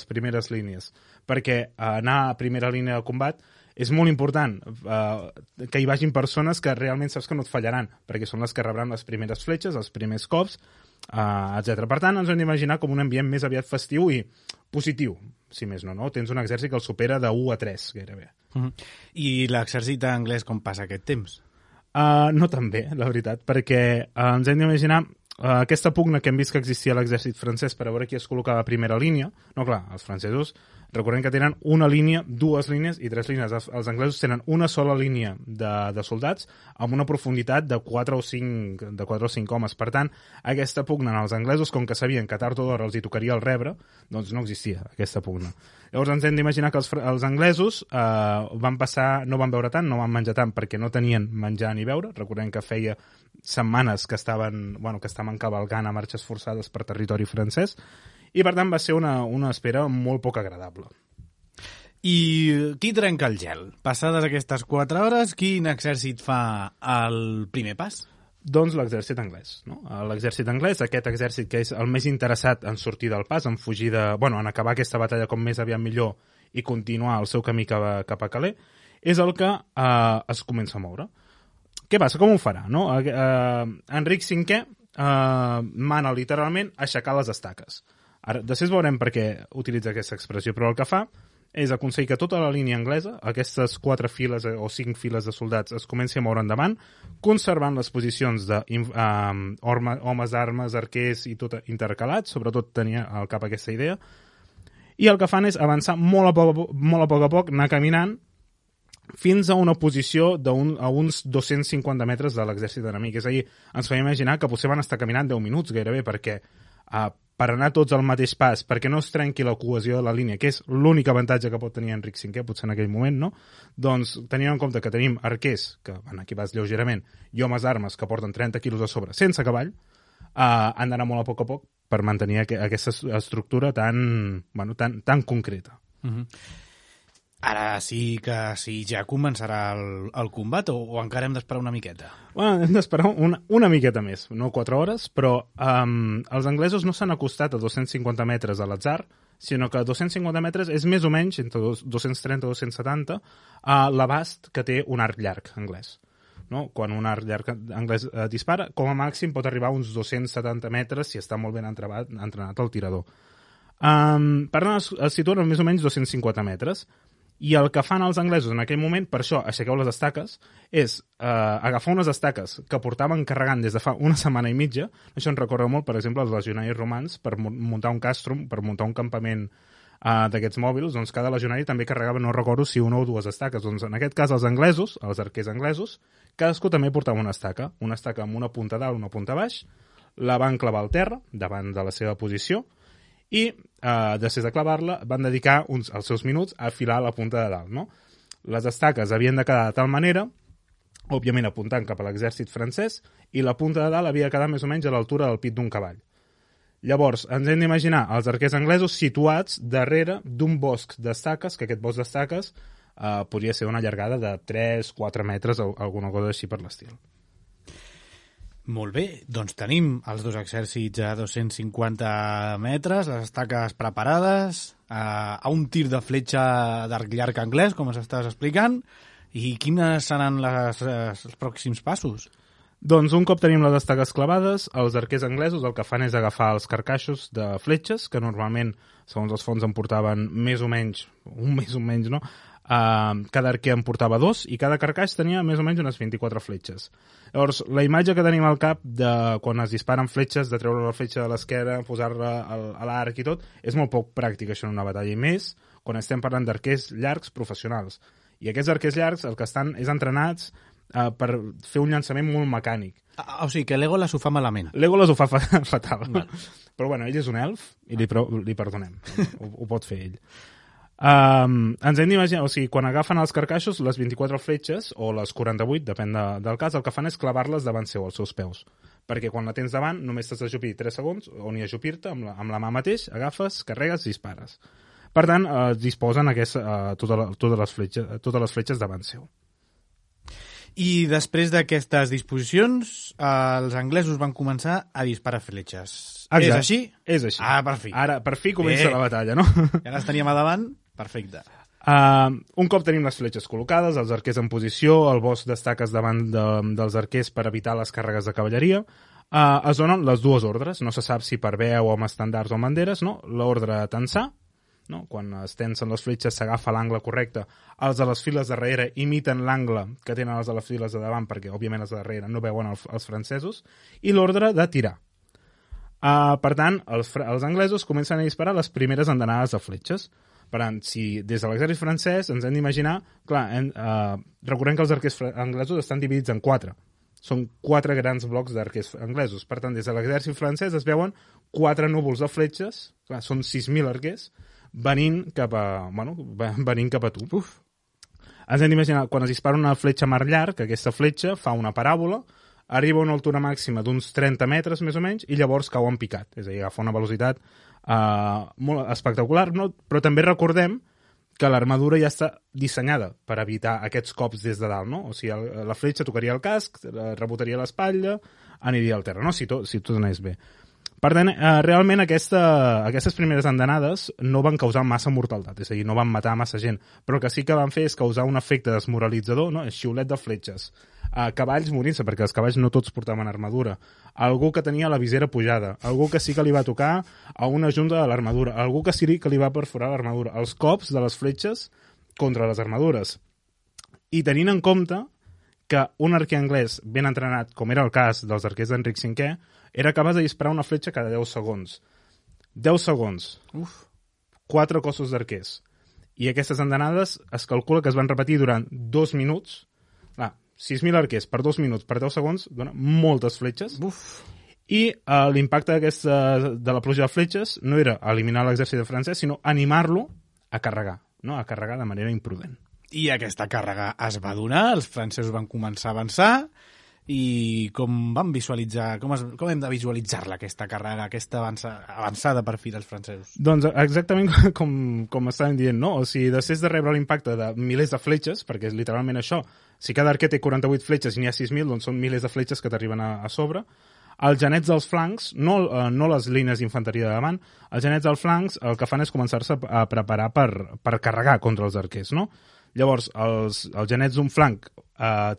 primeres línies, perquè anar a primera línia de combat és molt important que hi vagin persones que realment saps que no et fallaran, perquè són les que rebran les primeres fletxes, els primers cops, etc. Per tant, ens hem d'imaginar com un ambient més aviat festiu i positiu, si més no, no? Tens un exèrcit que el supera de 1 a 3, gairebé. I l'exèrcit anglès com passa aquest temps? No tan bé, la veritat, perquè ens hem d'imaginar aquesta pugna que hem vist que existia a l'exèrcit francès per a veure qui es col·locava a primera línia. No, clar, els francesos, recordem que tenen una línia, 2 línies i 3 línies. Els anglesos tenen una sola línia de soldats amb una profunditat de 4 o 5 homes. Per tant, aquesta pugna en els anglesos, com que sabien que tard o d'hora els hi tocaria el rebre, doncs no existia aquesta pugna. Llavors ens hem d'imaginar que els anglesos no van beure tant, no van menjar tant perquè no tenien menjar ni beure. Recordem que feia setmanes que estaven cavalgant a marxes forçades per territori francès, i per tant va ser una espera molt poc agradable. I qui trenca el gel? Passades aquestes 4 hores, quin exèrcit fa el primer pas? Doncs l'exèrcit anglès, no? L'exèrcit anglès, aquest exèrcit que és el més interessat en sortir del pas, en fugir en acabar aquesta batalla com més aviat millor i continuar el seu camí cap a Calais, és el que es comença a moure. Què passa? Com ho farà? No? Enric V mana literalment aixecar les estaques. Ara, després veurem per què utilitza aquesta expressió, però el que fa és aconseguir que tota la línia anglesa, aquestes 4 files o 5 files de soldats, es comenci a moure endavant, conservant les posicions d'homes d'armes, arquers i tot intercalats, sobretot tenia al cap aquesta idea, i el que fan és avançar molt a poc, anar caminant, fins a una posició a uns 250 metres de l'exèrcit enemic. És a dir, ens fem imaginar que potser van estar caminant 10 minuts gairebé, perquè per anar tots al mateix pas, perquè no es trenqui la cohesió de la línia, que és l'únic avantatge que pot tenir Enric V, potser en aquell moment, no? Doncs tenint en compte que tenim arquers, que van equipats lleugerament, i homes d'armes que porten 30 quilos a sobre sense cavall, han d'anar molt a poc per mantenir aquesta estructura tan concreta. Ara sí que ja començarà el combat o encara hem d'esperar una miqueta? Bueno, hem d'esperar una miqueta més, no 4 hores, però els anglesos no s'han acostat a 250 metres a l'atzar, sinó que 250 metres és més o menys, entre 230 i 270, l'abast que té un arc llarg anglès. No? Quan un arc llarg anglès dispara, com a màxim pot arribar a uns 270 metres si està molt ben entrenat el tirador. Per tant, es situen a més o menys 250 metres. I el que fan els anglesos en aquell moment, per això aixequeu les estaques, és agafar unes estaques que portaven carregant des de fa una setmana i mitja. Això ens recorda molt, per exemple, els legionaris romans per muntar un castrum, per muntar un campament d'aquests mòbils. Doncs cada legionari també carregava, no recordo si una o dues estaques. Doncs en aquest cas els anglesos, els arquers anglesos, cadascú també portava una estaca amb una punta dalt, una punta baix, la van clavar al terra, davant de la seva posició, i després de clavar-la van dedicar els seus minuts a afilar la punta de dalt. No? Les estaques havien de quedar de tal manera, òbviament apuntant cap a l'exèrcit francès, i la punta de dalt havia de quedar més o menys a l'altura del pit d'un cavall. Llavors, ens hem d'imaginar els arquers anglesos situats darrere d'un bosc d'estaques, que aquest bosc d'estaques podria ser una llargada de 3-4 metres o alguna cosa així per l'estil. Molt bé, doncs tenim els dos exèrcits a 250 metres, les estaques preparades, a un tir de fletxa d'arc llarg anglès, com ens estàs explicant, i quines seran els pròxims passos? Doncs un cop tenim les estaques clavades, els arquers anglesos el que fan és agafar els carcaixos de fletxes, que normalment, segons els fonts, en portaven més o menys, no? Cada arquer en portava 2 i cada carcaix tenia més o menys unes 24 fletxes. Llavors, la imatge que tenim al cap de quan es disparen fletxes, de treure la fletxa de l'esquerra, posar-la a l'arc i tot, és molt poc pràctic això en una batalla, i més quan estem parlant d'arquers llargs professionals. I aquests arquers llargs el que estan és entrenats per fer un llançament molt mecànic. O sigui, que Legolas ho fa malament. Legolas ho fa fatal. Val. Però bueno, ell és un elf i li perdonem. Ho pot fer ell. Ens hem d'imaginar, o sigui, quan agafen els carcaixos, les 24 fletxes, o les 48, depèn del cas, el que fan és clavar-les davant seu, als seus peus. Perquè quan la tens davant, només t'has d'ajupir 3 segons, o ni ajupir-te, amb la mà mateix, agafes, carregues, dispares. Per tant, disposen totes les fletxes davant seu. I després d'aquestes disposicions, els anglesos van començar a disparar fletxes. Exacte. És així? És així. Per fi. Ara, per fi comença la batalla, no? Ja les teníem a davant? Perfecte. Un cop tenim les fletxes col·locades, els arquers en posició, el bosc d'estaques davant dels arquers per evitar les càrregues de cavalleria, es donen les dues ordres. No se sap si per veu o amb estandards o amb banderes, no? L'ordre tensar, no? Quan es tensen les fletxes s'agafa l'angle correcte, els de les files de darrere imiten l'angle que tenen els de les files de davant, perquè òbviament els de darrere no veuen els francesos, i l'ordre de tirar. Per tant, els anglesos comencen a disparar les primeres andanades de fletxes. Per tant, si des de l'exèrcit francès ens hem d'imaginar, clar, recordem que els arquers anglesos estan dividits en 4. Són 4 grans blocs d'arquers anglesos. Per tant, des de l'exèrcit francès es veuen 4 núvols de fletxes, clar, són 6.000 arquers, venint cap a tu. Uf. Ens hem d'imaginar, quan es dispara una fletxa mar llarg, aquesta fletxa fa una paràbola, arriba a una altura màxima d'uns 30 metres més o menys i llavors cau en picat, és a dir, agafa una velocitat molt espectacular, no? Però també recordem que l'armadura ja està dissenyada per evitar aquests cops des de dalt, no? O sigui, la fletxa tocaria el casc, rebotaria l'espatlla, aniria al terra, no? Si tot anés bé. Per tant, realment aquestes primeres andanades no van causar massa mortalitat, és a dir, no van matar massa gent, però el que sí que van fer és causar un efecte desmoralitzador, no? Xiulet de fletxes. Cavalls morint-se, perquè els cavalls no tots portaven armadura. Algú que tenia la visera pujada, algú que sí que li va tocar a una junta de l'armadura, algú que sí que li va perforar l'armadura. Els cops de les fletxes contra les armadures. I tenint en compte que un arquer anglès ben entrenat, com era el cas dels arquers d'Enric V, era capaç de disparar una fletxa cada 10 segons. 10 segons. Uf. 4 cossos d'arquers. I aquestes andanades es calcula que es van repetir durant 2 minuts. 6.000 arquers per 2 minuts, per 10 segons, dona moltes fletxes. Uf. I l'impacte de la pluja de fletxes no era eliminar l'exèrcit francès, sinó animar-lo a carregar, no? A carregar de manera imprudent. I aquesta càrrega es va donar, els francesos van començar a avançar, i com vam visualitzar, com hem de visualitzar-la, aquesta càrrega, aquesta avançada per fi dels francesos? Doncs exactament com estàvem dient, no? O sigui, després de rebre l'impacte de milers de fletxes, perquè és literalment això, si cada arquer té 48 fletxes i n'hi ha 6.000, doncs són milers de fletxes que t'arriben a sobre. Els genets dels flancs, no les línies d'infanteria de davant, els genets dels flancs el que fan és començar-se a preparar per carregar contra els arquers, no? Llavors, els genets d'un flanc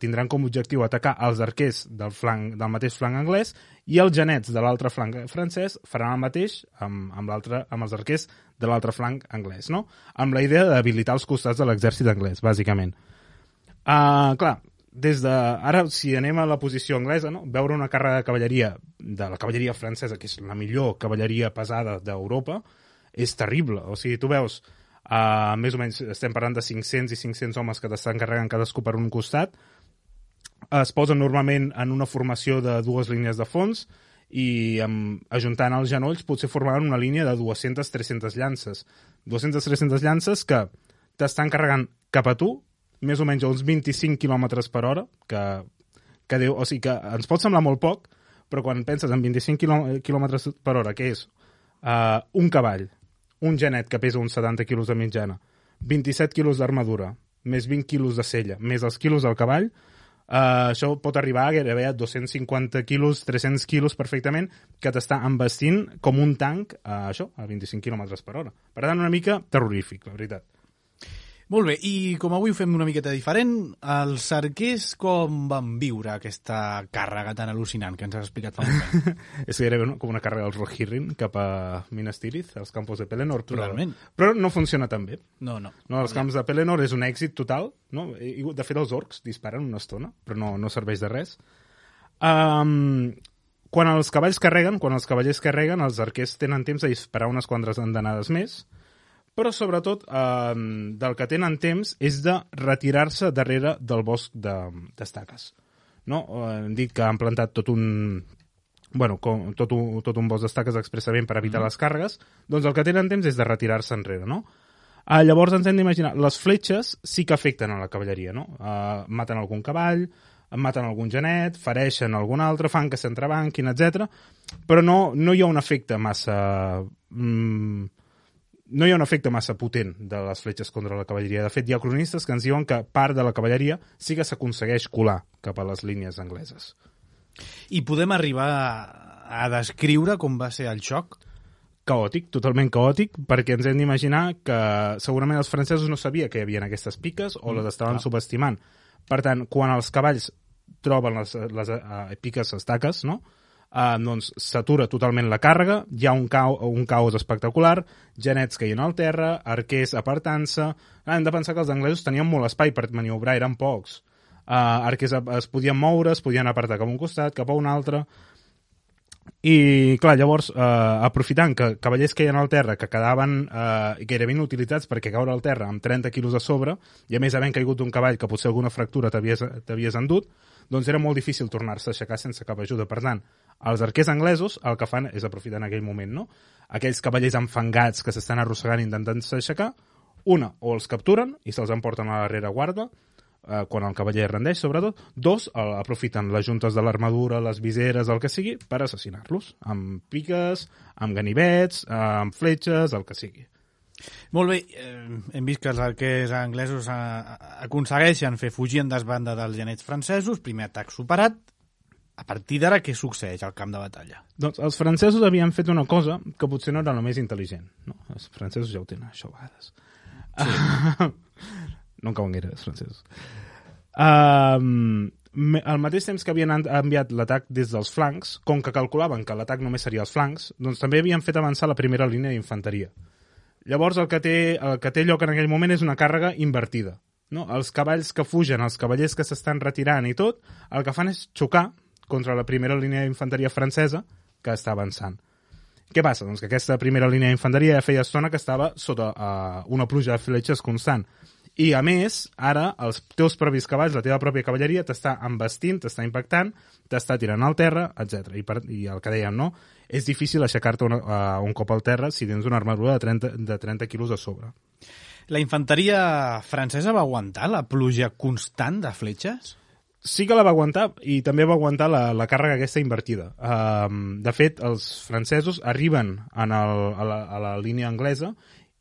tindran com a objectiu atacar els arquers del mateix flanc anglès i els genets de l'altre flanc francès faran el mateix amb els arquers de l'altre flanc anglès, no? Amb la idea d'habilitar els costats de l'exèrcit anglès, bàsicament. Clar, ara, si anem a la posició anglesa, no? Veure una càrrega de cavalleria, de la cavalleria francesa, que és la millor cavalleria pesada d'Europa, és terrible. O sigui, tu veus, més o menys estem parlant de 500 i 500 homes que t'estan carregant cadascú per un costat, es posen normalment en una formació de 2 línies de fons i ajuntant els genolls potser formaven una línia de 200-300 llances. 200-300 llances que t'estan carregant cap a tu, més o menys a uns 25 km per hora, o sigui que ens pot semblar molt poc, però quan penses en 25 km per hora, que és un cavall, un genet que pesa uns 70 quilos de mitjana, 27 quilos d'armadura, més 20 quilos de sella, més els quilos del cavall, això pot arribar a gairebé a 250 quilos, 300 quilos perfectament, que t'està embestint com un tanc a 25 km per hora. Per tant, una mica terrorífic, la veritat. Molt bé, i com avui ho fem una miqueta diferent, els arquers com van viure aquesta càrrega tan al·lucinant que ens has explicat fa un moment? És gairebé com una càrrega dels Rohirrim cap a Minas Tirith, als campos de Pelennor, però no funciona tan bé. No. Els camps de Pelennor és un èxit total, no? De fet, els orcs disparen una estona, però no serveix de res. Quan els cavallers carreguen, els arquers tenen temps de disparar unes quantes andanades més, però sobretot del que tenen temps és de retirar-se darrere del bosc d'estaques. No? Hem dit que han plantat tot un bosc d'estaques expressament per evitar les càrregues, doncs el que tenen temps és de retirar-se enrere. No? Llavors ens hem d'imaginar, les fletxes sí que afecten a la cavalleria, no? Maten algun cavall, maten algun genet, fereixen algun altre, fan que s'entrebanquin, etc. Però no hi ha un efecte massa... No hi ha un efecte massa potent de les fletxes contra la cavalleria. De fet, hi ha cronistes que ens diuen que part de la cavalleria sí que s'aconsegueix colar cap a les línies angleses. I podem arribar a descriure com va ser el xoc? Caòtic, totalment caòtic, perquè ens hem d'imaginar que segurament els francesos no sabien que hi havia aquestes piques o les estaven subestimant. Per tant, quan els cavalls troben les piques estaques, no?, doncs s'atura totalment la càrrega, hi ha un caos espectacular, genets caient al terra, arquers apartant-se. Hem de pensar que els anglesos tenien molt espai per maniobrar, eren pocs. Arquers es podien moure, es podien apartar cap a un costat, cap a un altre. I, clar, llavors, aprofitant que cavallers caien al terra, que quedaven gairebé inutilitzats perquè caure al terra amb 30 quilos a sobre, i a més havent caigut d'un cavall que potser alguna fractura t'havies endut, doncs era molt difícil tornar-se a aixecar sense cap ajuda. Per tant, els arquers anglesos el que fan és aprofitar en aquell moment, no? Aquells cavallers enfangats que s'estan arrossegant intentant-se aixecar, o els capturen i se'ls emporten a la rereguarda, quan el cavaller rendeix, sobretot. 2, aprofiten les juntes de l'armadura, les viseres, el que sigui, per assassinar-los, amb piques, amb ganivets, amb fletxes, el que sigui. Molt bé, hem vist que els arquers anglesos aconsegueixen fer fugir en desbanda dels genets francesos, primer atac superat. A partir d'ara, què succeeix al camp de batalla? Doncs els francesos havien fet una cosa que potser no era la més intel·ligent. No? Els francesos ja ho tenen, això a vegades. Sí. No en cauen gaire, els francesos. Al mateix temps que havien enviat l'atac des dels flancs, com que calculaven que l'atac només seria als flancs, doncs també havien fet avançar la primera línia d'infanteria. Llavors el que té lloc en aquell moment és una càrrega invertida. No? Els cavalls que fugen, els cavallers que s'estan retirant i tot, el que fan és xocar contra la primera línia d'infanteria francesa que està avançant. Què passa? Doncs que aquesta primera línia d'infanteria ja feia estona que estava sota una pluja de fletxes constant. I, a més, ara els teus propis cavalls, la teva pròpia cavalleria, t'està embestint, t'està impactant, t'està tirant al terra, etc. I el que dèiem, no? És difícil aixecar-te un cop al terra si tens una armadura de 30 quilos a sobre. La infanteria francesa va aguantar la pluja constant de fletxes? Sí que la va aguantar i també va aguantar la càrrega aquesta invertida. De fet, els francesos arriben a la línia anglesa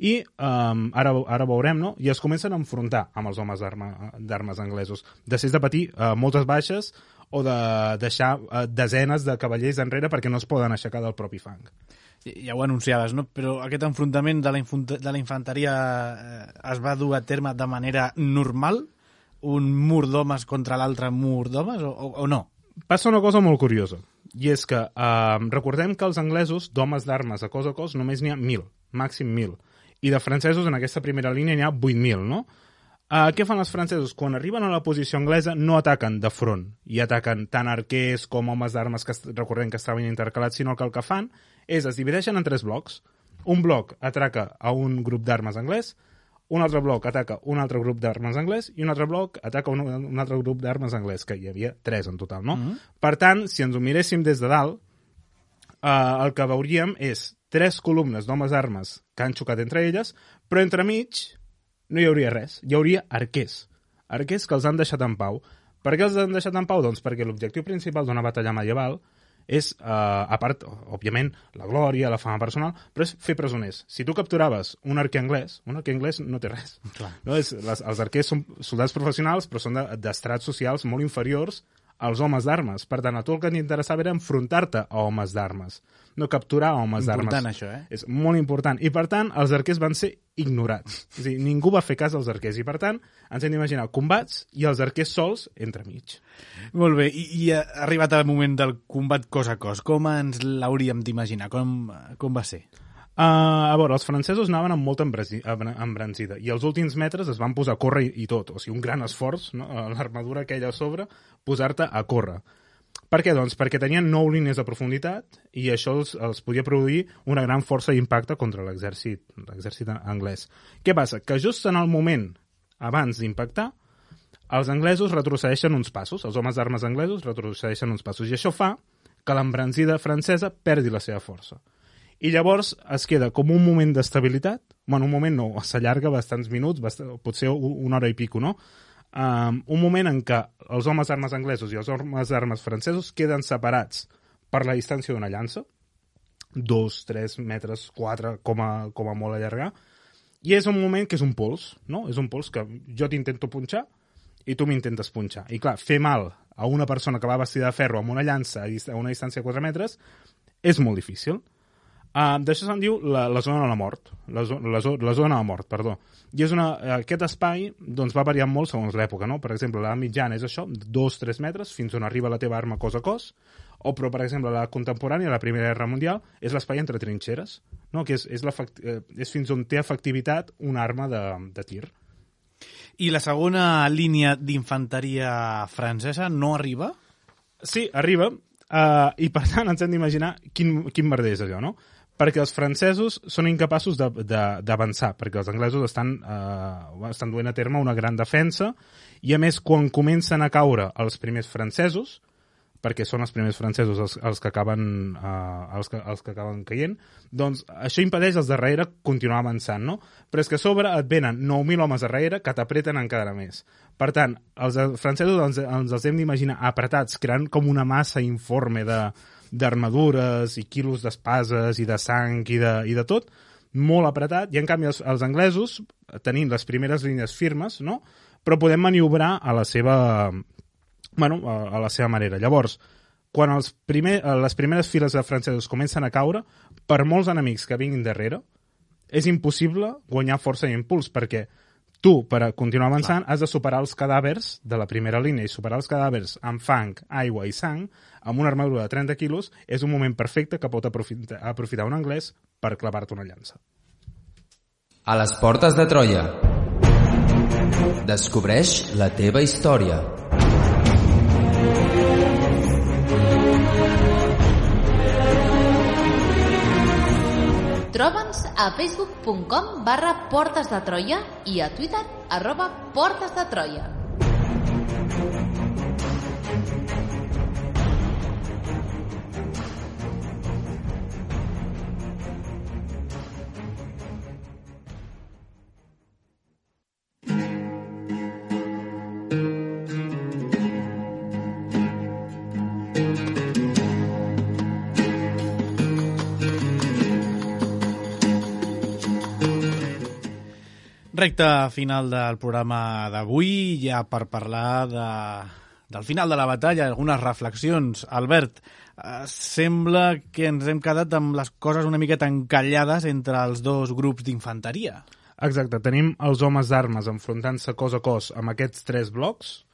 i ara veurem, no? I es comencen a enfrontar amb els homes d'armes anglesos. Després de patir moltes baixes o de deixar desenes de cavallers enrere perquè no es poden aixecar del propi fang. Ja ho anunciaves, no? Però aquest enfrontament de la infanteria es va dur a terme de manera normal? Un mur d'homes contra l'altre mur d'homes o no? Passa una cosa molt curiosa, i és que recordem que els anglesos, d'homes d'armes a cos, només n'hi ha 1.000, màxim 1.000, i de francesos en aquesta primera línia n'hi ha 8.000, no? Què fan els francesos? Quan arriben a la posició anglesa no ataquen de front i ataquen tant arquers com homes d'armes que recordem que estaven intercalats, sinó que el que fan és es divideixen en 3 blocs. Un bloc ataca a un grup d'armes anglès, un altre bloc ataca un altre grup d'armes anglès i un altre bloc ataca un altre grup d'armes anglès, que hi havia 3 en total, no? Per tant, si ens ho miréssim des de dalt, el que veuríem és 3 columnes d'homes d'armes que han xocat entre elles, però entremig no hi hauria res, hi hauria arquers que els han deixat en pau. Per què els han deixat en pau? Doncs perquè l'objectiu principal d'una batalla medieval és, a part, òbviament, la glòria, la fama personal, però és fer presoners. Si tu capturaves un arquer anglès no té res. Clar. No? Els arquers són soldats professionals, però són d'estrats socials molt inferiors als homes d'armes. Per tant, a tu el que t'interessava era enfrontar-te a homes d'armes, no capturar homes d'armes. Important, això, És molt important. I, per tant, els arquers van ser ignorats. És a dir, ningú va fer cas als arquers. I, per tant, ens hem d'imaginar combats i els arquers sols entremig. Molt bé. I ha arribat el moment del combat cos a cos. Com ens l'hauríem d'imaginar? Com va ser? A veure, els francesos anaven amb molta embranzida i els últims metres es van posar a córrer i tot. O sigui, un gran esforç, no? L'armadura aquella a sobre, posar-te a córrer. Per què? Doncs perquè tenien 9 línies de profunditat i això els podia produir una gran força d'impacte contra l'exèrcit anglès. Què passa? Que just en el moment abans d'impactar, els anglesos retrocedeixen uns passos, els homes d'armes anglesos retrocedeixen uns passos, i això fa que l'embranzida francesa perdi la seva força. I llavors es queda com un moment d'estabilitat, bueno, un moment no, s'allarga bastants minuts, potser una hora i pico, no? Un moment en què els homes d'armes anglesos i els homes d'armes francesos queden separats per la distància d'una llança, 2, 3 metres, 4, com a molt allargar, i és un moment que és un pols, no? És un pols que jo t'intento punxar i tu m'intentes punxar. I clar, fer mal a una persona que va vestida de ferro amb una llança a una distància de 4 metres és molt difícil. D'això se'n diu la zona de la mort, la zona de la mort, perdó. I aquest espai doncs, va variant molt segons l'època, no? Per exemple, la mitjana és això, 2-3 metres, fins on arriba la teva arma cos a cos, però, per exemple, la contemporània, la Primera Guerra Mundial, és l'espai entre trinxeres, no? Que és fins on té efectivitat una arma de tir. I la segona línia d'infanteria francesa no arriba? Sí, arriba, i per tant ens hem d'imaginar quin merder és allò, no? Perquè els francesos són incapaços d'avançar, perquè els anglesos estan duent a terme una gran defensa, i a més, quan comencen a caure els primers francesos, perquè són els primers francesos els que acaben caient, doncs això impedeix als darrere continuar avançant, no? Però és que a sobre et venen 9.000 homes darrere que t'apreten encara més. Per tant, els francesos ens els hem d'imaginar apretats, creant com una massa informe d'armadures i quilos d'espases i de sang i de tot, molt apretat, i en canvi els anglesos, tenint les primeres línies firmes, no? Però podem maniobrar a la seva manera. Llavors, quan les primeres files de francesos comencen a caure, per molts enemics que vinguin darrere, és impossible guanyar força i impuls, perquè tu, per continuar avançant, has de superar els cadàvers de la primera línia, i superar els cadàvers amb fang, aigua i sang, amb una armadura de 30 quilos, és un moment perfecte que pot aprofitar un anglès per clavar-te una llança. A les portes de Troia. Descobreix la teva història. Troba'ns a facebook.com/Portes de Troia i a Twitter @Portes de Troia. Recte final del programa d'avui, ja per parlar del final de la batalla, algunes reflexions. Albert, sembla que ens hem quedat amb les coses una miqueta encallades entre els dos grups d'infanteria. Exacte, tenim els homes d'armes enfrontant-se cos a cos amb aquests 3 blocs,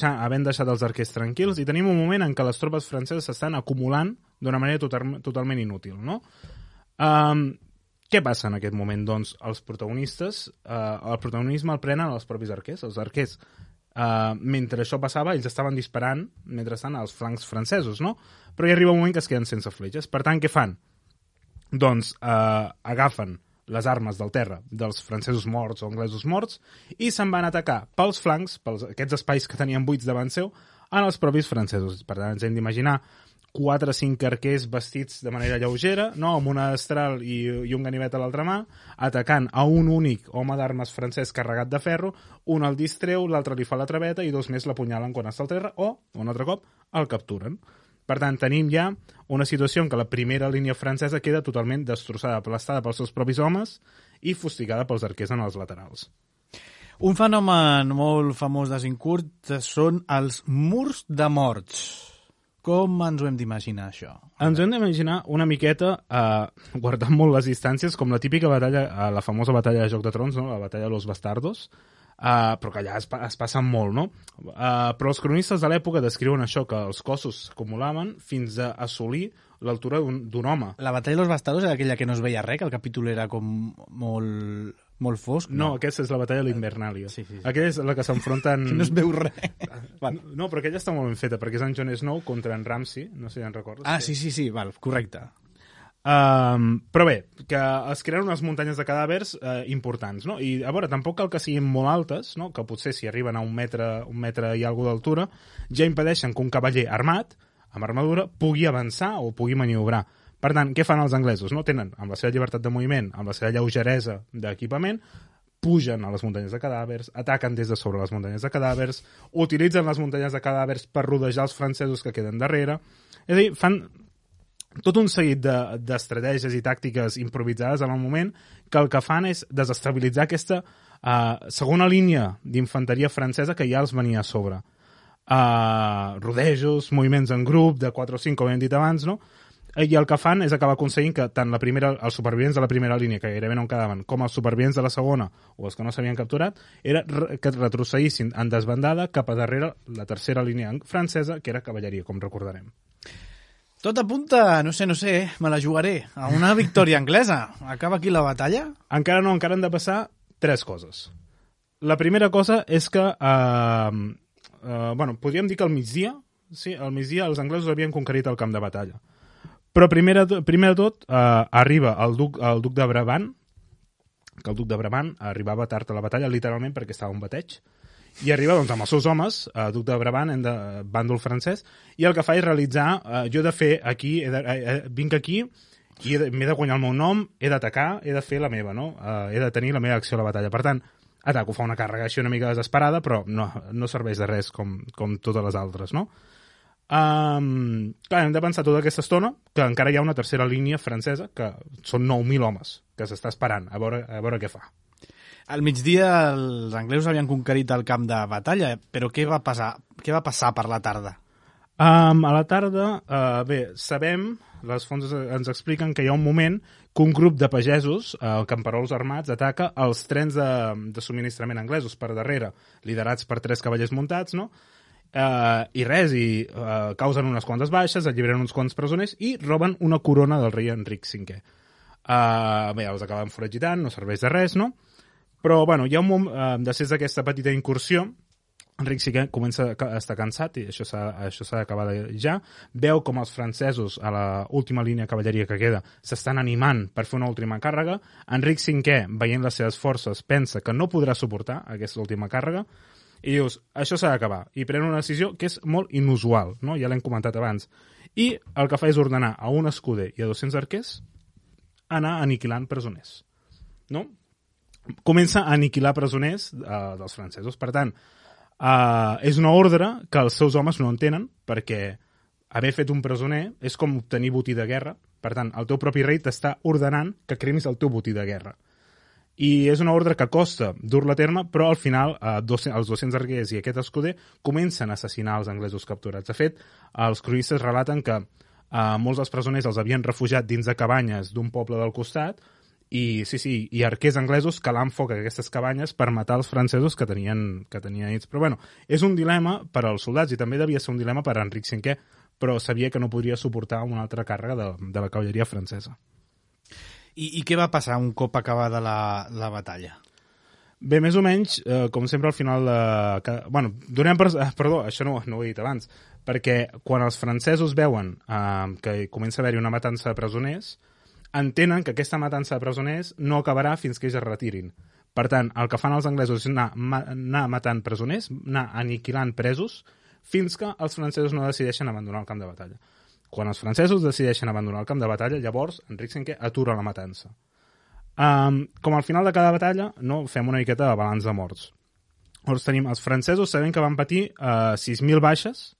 havent deixat els arquers tranquils, i tenim un moment en què les tropes franceses s'estan acumulant d'una manera totalment inútil, no? Què passa en aquest moment? Doncs el protagonisme el prenen els propis arquers. Els arquers, mentre això passava, ells estaven disparant mentrestant als flancs francesos, no? Però hi arriba un moment que es queden sense fletxes. Per tant, què fan? Doncs agafen les armes del terra dels francesos morts o anglesos morts i se'n van atacar pels flancs, aquests espais que tenien buits davant seu, en els propis francesos. Per tant, ens hem d'imaginar 4 o 5 arquers vestits de manera lleugera, no? Amb una destral i un ganivet a l'altra mà, atacant a un únic home d'armes francès carregat de ferro, un el distreu, l'altre li fa la traveta i 2 més l'apunyalen quan està al terra o, un altre cop, el capturen. Per tant, tenim ja una situació en què la primera línia francesa queda totalment destrossada, aplastada pels seus propis homes i fustigada pels arquers en els laterals. Un fenomen molt famós d'Azincourt són els murs de morts. Com ens ho hem d'imaginar, això? Ens ho hem d'imaginar una miqueta guardant molt les distàncies, com la típica batalla, la famosa batalla de Joc de Trons, no? La batalla de los bastardos, però que allà es passen molt, no? Però els cronistes de l'època descriuen això, que els cossos s'acumulaven fins a assolir l'altura d'un home. La batalla de los bastardos era aquella que no es veia res, que el capítol era com molt fosc? No, aquesta és la batalla de l'Invernàlia. Sí. Aquella és la que s'enfronten... Que no es veu res. No, però aquella està molt ben feta, perquè és en Jon Snow contra en Ramsay, no sé si en recordes. Sí, val, correcte. Però bé, que es creen unes muntanyes de cadàvers importants, no? I a veure, tampoc cal que siguin molt altes, no? Que potser si arriben a un metre i alguna d'altura, ja impedeixen que un cavaller armat, amb armadura, pugui avançar o pugui maniobrar. Per tant, què fan els anglesos? No? Tenen, amb la seva llibertat de moviment, amb la seva lleugeresa d'equipament, pugen a les muntanyes de cadàvers, ataquen des de sobre les muntanyes de cadàvers, utilitzen les muntanyes de cadàvers per rodejar els francesos que queden darrere. És a dir, fan tot un seguit d'estratègies i tàctiques improvisades en el moment que el que fan és desestabilitzar aquesta segona línia d'infanteria francesa que ja els venia a sobre. Rodejos, moviments en grup de 4 o 5, com hem dit abans, no? I el que fan és acabar aconseguint que tant els supervivents de la primera línia, que gairebé no en quedaven, com els supervivents de la segona, o els que no s'havien capturat, era que retrocedissin en desbandada cap a darrere la tercera línia francesa, que era cavalleria, com recordarem. Tot apunta, no sé, me la jugaré, a una victòria anglesa. Acaba aquí la batalla? Encara no, encara han de passar 3 coses. La primera cosa és que, podríem dir que al migdia els anglesos havien conquerit el camp de batalla. Però primer de tot arriba el duc de Brabant, que el duc de Brabant arribava tard a la batalla, literalment perquè estava un bateig, i arriba doncs, amb els seus homes, duc de Brabant, bàndol francès, i el que fa és realitzar, jo he de fer aquí, vinc aquí, i m'he de guanyar el meu nom, he d'atacar, he de fer la meva, no? He de tenir la meva acció a la batalla. Per tant, ataco, fa una càrrega així una mica desesperada, però no serveix de res com totes les altres, no? Clar, hem de pensar tota aquesta estona que encara hi ha una tercera línia francesa, que són 9.000 homes, que s'està esperant a veure què fa. Al migdia els anglesos havien conquerit el camp de batalla, però què va passar per la tarda? A la tarda, sabem, les fonts ens expliquen que hi ha un moment que un grup de pagesos, camperols armats, ataca els trens de subministrament anglesos per darrere, liderats per 3 cavallers muntats, no? Causen unes quantes baixes, alliberen uns quants presoners i roben una corona del rei Enric V. Els acaben foragitant, no serveix de res, no? Però, hi ha un moment, després d'aquesta petita incursió, Enric V comença a estar cansat, i això s'ha d'acabar ja, veu com els francesos, a l'última línia de cavalleria que queda, s'estan animant per fer una última càrrega. Enric V, veient les seves forces, pensa que no podrà suportar aquesta última càrrega, i dius, això s'ha d'acabar, i pren una decisió que és molt inusual, no? Ja l'hem comentat abans, i el que fa és ordenar a un escuder i a 200 arquers anar aniquilant presoners, no? Comença a aniquilar presoners dels francesos. Per tant, és una ordre que els seus homes no entenen, perquè haver fet un presoner és com obtenir botí de guerra. Per tant, el teu propi rei t'està ordenant que cremis el teu botí de guerra. I és una ordre que costa dur-la a terme, però al final els 200 arquers i aquest escuder comencen a assassinar els anglesos capturats. De fet, els cronistes relaten que molts dels presoners els havien refugiat dins de cabanyes d'un poble del costat i arquers anglesos calant foc a aquestes cabanyes per matar els francesos que tenien ells. Però bueno, és un dilema per als soldats i també devia ser un dilema per a Enric V, però sabia que no podria suportar una altra càrrega de la cavalleria francesa. I què va passar un cop acabada la batalla? Bé, més o menys, com sempre al final donem perdó, això no ho he dit abans, perquè quan els francesos veuen que comença a haver-hi una matança de presoners, entenen que aquesta matança de presoners no acabarà fins que ells es retirin. Per tant, el que fan els anglesos és anar matant presoners, anar aniquilant presos, fins que els francesos no decideixen abandonar el camp de batalla. Quan els francesos decideixen abandonar el camp de batalla, llavors Enric V atura la matança. Com al final de cada batalla, fem una miqueta de balanç de morts. Llavors tenim els francesos sabent que van patir 6.000 baixes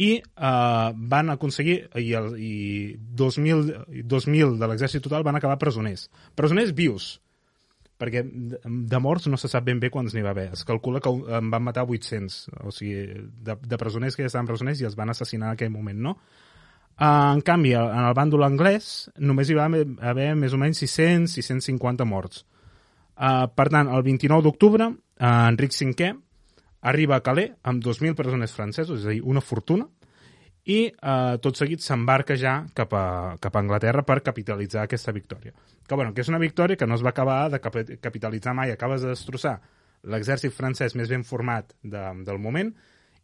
i van aconseguir i 2.000 de l'exèrcit total van acabar presoners. Presoners vius, perquè de morts no se sap ben bé quants n'hi va haver. Es calcula que en van matar 800, o sigui, de presoners que ja estaven presoners i els van assassinar en aquell moment, no? En canvi, en el bàndol anglès només hi va haver més o menys 600-650 morts. Per tant, el 29 d'octubre, Enric V arriba a Calais amb 2.000 presoners francesos, és a dir, una fortuna, i tot seguit s'embarca ja cap a Anglaterra per capitalitzar aquesta victòria. Que és una victòria que no es va acabar de capitalitzar mai, acabes de destrossar l'exèrcit francès més ben format del moment,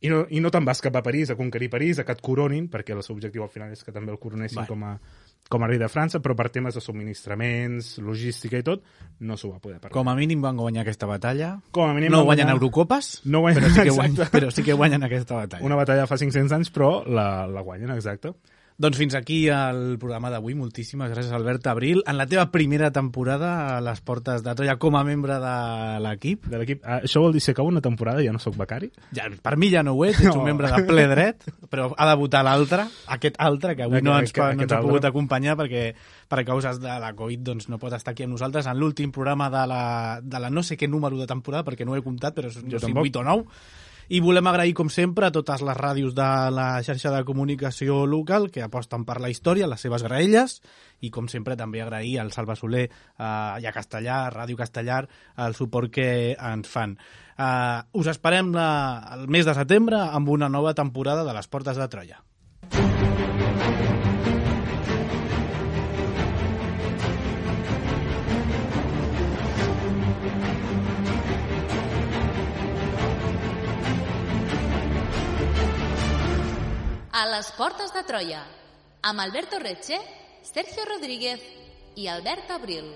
i no te'n vas cap a París, a conquerir París, a que et coronin, perquè el seu objectiu al final és que també el coronessin com a rei de França, però per temes de subministraments, logística i tot, no s'ho va poder permetre. Com a mínim van guanyar aquesta batalla. Com a mínim no guanyen Eurocopes, no guanyen, però sí que guanyen aquesta batalla. Una batalla fa 500 anys, però la guanyen, exacte. Doncs fins aquí el programa d'avui. Moltíssimes gràcies, Albert Abril. En la teva primera temporada a les portes de Troia com a membre de l'equip. Això vol dir que acaba una temporada i ja no sóc becari? Ja, per mi ja no ho ets un membre de ple dret, però ha de votar l'altre, aquest altre, que avui no ens ha pogut acompanyar perquè per causes de la Covid doncs, no pot estar aquí amb nosaltres en l'últim programa de la no sé què número de temporada, perquè no ho he comptat, però no sé, 8 o 9. I volem agrair, com sempre, a totes les ràdios de la xarxa de comunicació local que aposten per la història, les seves graelles, i, com sempre, també agrair al Salva Soler i a Castellar, a Ràdio Castellar, el suport que ens fan. Us esperem el mes de setembre amb una nova temporada de les Portes de Troia. A les Portes de Troia, amb Alberto Retxe, Sergio Rodríguez i Albert Abril.